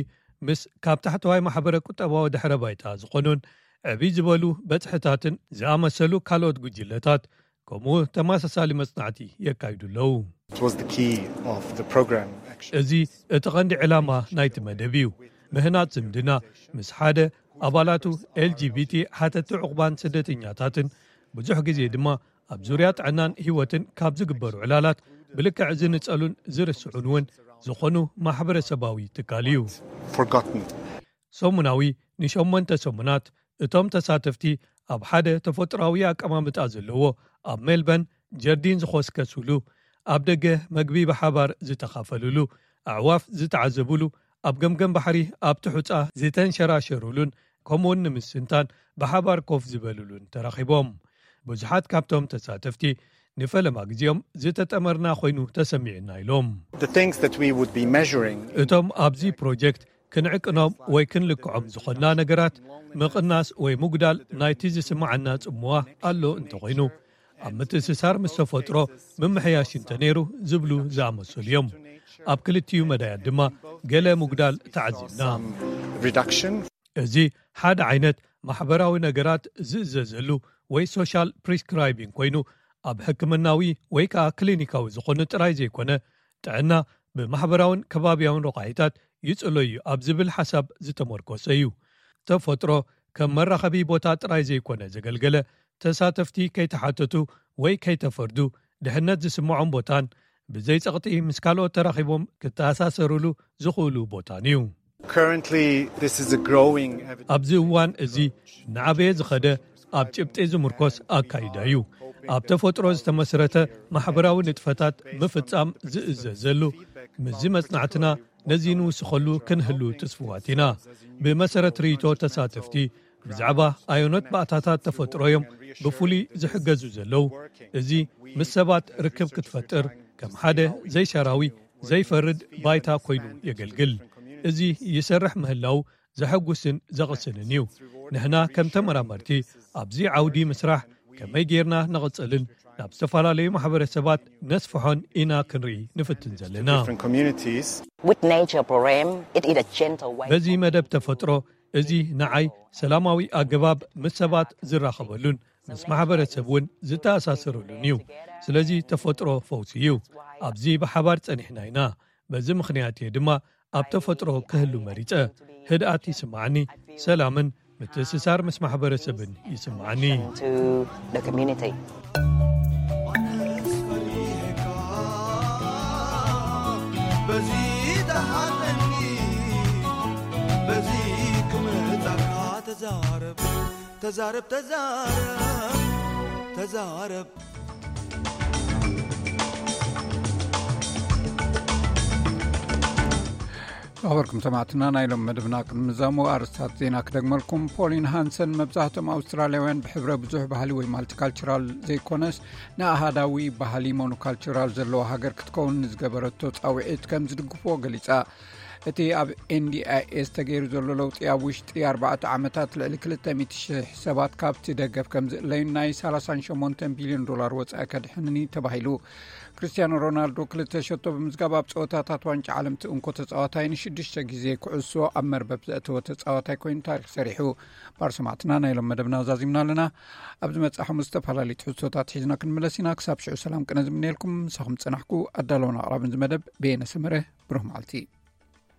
ምስ ካብ ታሕተዋይ ማሕበረ ቁጠባዊ ድሕረ ባይታ ዝኾኑን ዕብይ ዝበሉ በጽሕታትን ዝኣመሰሉ ካልኦት ጉጅለታት ከምኡ ተመሳሳሊ መጽናዕቲ የካይዱ ኣለዉ። It was the key of the program, actually. እዚ እቲ ቐንዲ ዕላማ ናይቲ መደብ እዩ። ምህናጽ ዝምድና ምስ ሓደ ኣባላቱ ኤልጂቢቲ ሓተቲ ዕቑባን ስደተኛታትን ብዙሕ ግዜ ድማ ኣብ ዙርያ ጥዕናን ህይወትን ካብ ዝግበሩ ዕላላት ብልክዕ ዝንጸሉን ዝርስዑን እውን ዝኾኑ ማሕበረሰባዊ ትካል እዩ። Forgotten. ሰሙናዊ ንሸሞንተ ሰሙናት እቶም ተሳተፍቲ ኣብ ሓደ ተፈጥሮኣዊ ኣቀማምጣ ዘለዎ ኣብ ሜልበርን ጀርዲን ዝኾስከሱሉ፣ ኣብ ደገ መግቢ ብሓባር ዝተኻፈሉሉ፣ ኣዕዋፍ ዝተዓዘቡሉ፣ ኣብ ገምገም ባሕሪ ኣብቲ ሑጻ ዝተንሸራሸሩሉን ከምኡውን ንምስንታን ብሓባር ኮፍ ዝበሉሉን ተራኺቦም። ብዙሓት ካብቶም ተሳተፍቲ ንፈለማ ግዜኦም ዝተጠመርና ኮይኑ ተሰሚዑና ኢሎም። The things that we would be measuring እቶም ኣብዚ ፕሮጀክት ክንዕቅኖም ወይ ክንልክዖም ዝኾንና ነገራት ምቕናስ ወይ ምጉዳል ናይቲ ዝስምዓና ጽምዋ ኣሎ እንተኾይኑ ኣብ ምትእስሳር ምስ ተፈጥሮ ምምሕያሽ እንተነይሩ ዝብሉ ዝኣመሰሉ እዮም። ኣብ ክልቲኡ መዳያት ድማ ገለ ምጉዳል ተዓዚብና። reduction. እዚ ሓደ ዓይነት ማሕበራዊ ነገራት ዝእዘዘሉ ወይ ሶሻል ፕሪስክራይቢንግ ኮይኑ ኣብ ሕክምናዊ ወይ ከዓ ክሊኒካዊ ዝኾኑ ጥራይ ዘይኮነ ጥዕና ብማሕበራውን ከባቢያውን ረቋሒታት ይጽሎ እዩ ኣብ ዝብል ሓሳብ ዝተመርኮሰ እዩ። ተፈጥሮ ከም መራኸቢ ቦታ ጥራይ ዘይኮነ ዘገልገለ ተሳተፍቲ ከይተሓተቱ ወይ ከይተፈርዱ ድሕነት ዝስምዖም ቦታን ብዘይ ጸቕጢ ምስ ካልኦት ተራኺቦም ክተኣሳሰርሉ ዝኽእሉ ቦታን እዩ። Currently, this is a growing evidence. ኣብዚ እዋን እዚ እናዓበየ ዝኸደ ኣብ ጭብጢ ዝምርኮስ ኣካይዳ እዩ። ኣብ ተፈጥሮ ዝተመስረተ ማሕበራዊ ንጥፈታት ምፍጻም ዝእዘዘሉ፣ ምስዚ መጽናዕትና ነዚ ንውስኸሉ ክንህሉ ትስፍዋት ኢና። ብመሰረት ርእይቶ ተሳተፍቲ፣ ብዛዕባ ኣየኖት ባእታታት ተፈጥሮ እዮም ብፍሉይ ዝሕገዙ ዘለዉ፣ እዚ ምስ ሰባት ርክብ ክትፈጥር ከም ሓደ ዘይሸራዊ ዘይፈርድ ባይታ ኮይኑ የገልግል። እዚ ይሰርሕ ምህላው ዘሐጉስን ዘቕስንን እዩ። ንሕና ከም ተመራመርቲ ኣብዚ ዓውዲ ምስራሕ ከመይ ጌርና ነቕጽልን ናብ ዝተፈላለዩ ማሕበረሰባት ነስፍሖን ኢና ክንርኢ ንፍትን ዘለና። Different communities. With nature, Borem, it is a gentle way. በዚ መደብ ተፈጥሮ፣ እዚ ንዓይ ሰላማዊ ኣገባብ ምስ ሰባት ዝራኸበሉን ምስ ማሕበረሰብ እውን ዝተኣሳሰረሉን እዩ። ስለዚ ተፈጥሮ ፈውሲ እዩ። ኣብዚ ብሓባር ጸኒሕና ኢና። በዚ ምኽንያት እየ ድማ ኣብ ተፈጥሮ ክህሉ መሪጸ። ህድኣት ይስማዓኒ፣ ሰላምን ምትእስሳር ምስ ማሕበረሰብን ይስማዓኒ። To the community. በዚ ደሓነኒ በዚ ክምጻካ ተዛረብ ተዛረብ ተዛረብ ተዛረብ። ዝኸበርኩም ሰማዕትና፣ ናይ ሎም መደብና ቅድሚ ምዛሙ ኣርስታት ዜና ክደግመልኩም። ፖሊን ሃንሰን፣ መብዛሕትኦም ኣውስትራልያውያን ብሕብረ ብዙሕ ባህሊ ወይ ማልቲካልቸራል ዘይኮነስ ንኣሃዳዊ ባህሊ ሞኖካልቸራል ዘለዎ ሃገር ክትከውን ንዝገበረቶ ጻውዒት ከም ዝድግፍዎ ገሊጻ። እቲ ኣብ ኤንዲኣይኤስ ተገይሩ ዘሎ ለውጢ ኣብ ውሽጢ ኣርባዕተ ዓመታት ልዕሊ ክልተ ሚእቲ ሽሕ ሰባት ካብቲ ደገፍ ከም ዝእለዩን ናይ ሰላሳ ሸሞንተ ቢልዮን ዶላር ወጻኢ ከድሕንን እዩ ተባሂሉ። ክርስቲያኖ ሮናልዶ ክልተ ሸቶ ብምዝጋብ ኣብ ጸወታታት ዋንጫ ዓለም እቲ እንኮ ተጻዋታይ ንሽዱሽተ ግዜ ኩዕሶ ኣብ መርበብ ዘእተወ ተጻዋታይ ኮይኑ ታሪኽ ሰሪሑ። ባር ሰማዕትና፣ ናይ ሎም መደብና ዛዚምና ኣለና። ኣብ ዝመጽእ ሓሙስ ዝተፈላለዩ ትሕዝቶታት ሒዝና ክንምለስ ኢና። ክሳብ ሽዑ ሰላም ቅነ ዝምነየልኩም። ምሳኹም ዝጸናሕኩ ኣዳለውን ኣቕራብን እዚ መደብ በየነ ሰመረ። ብሩህ መዓልቲ።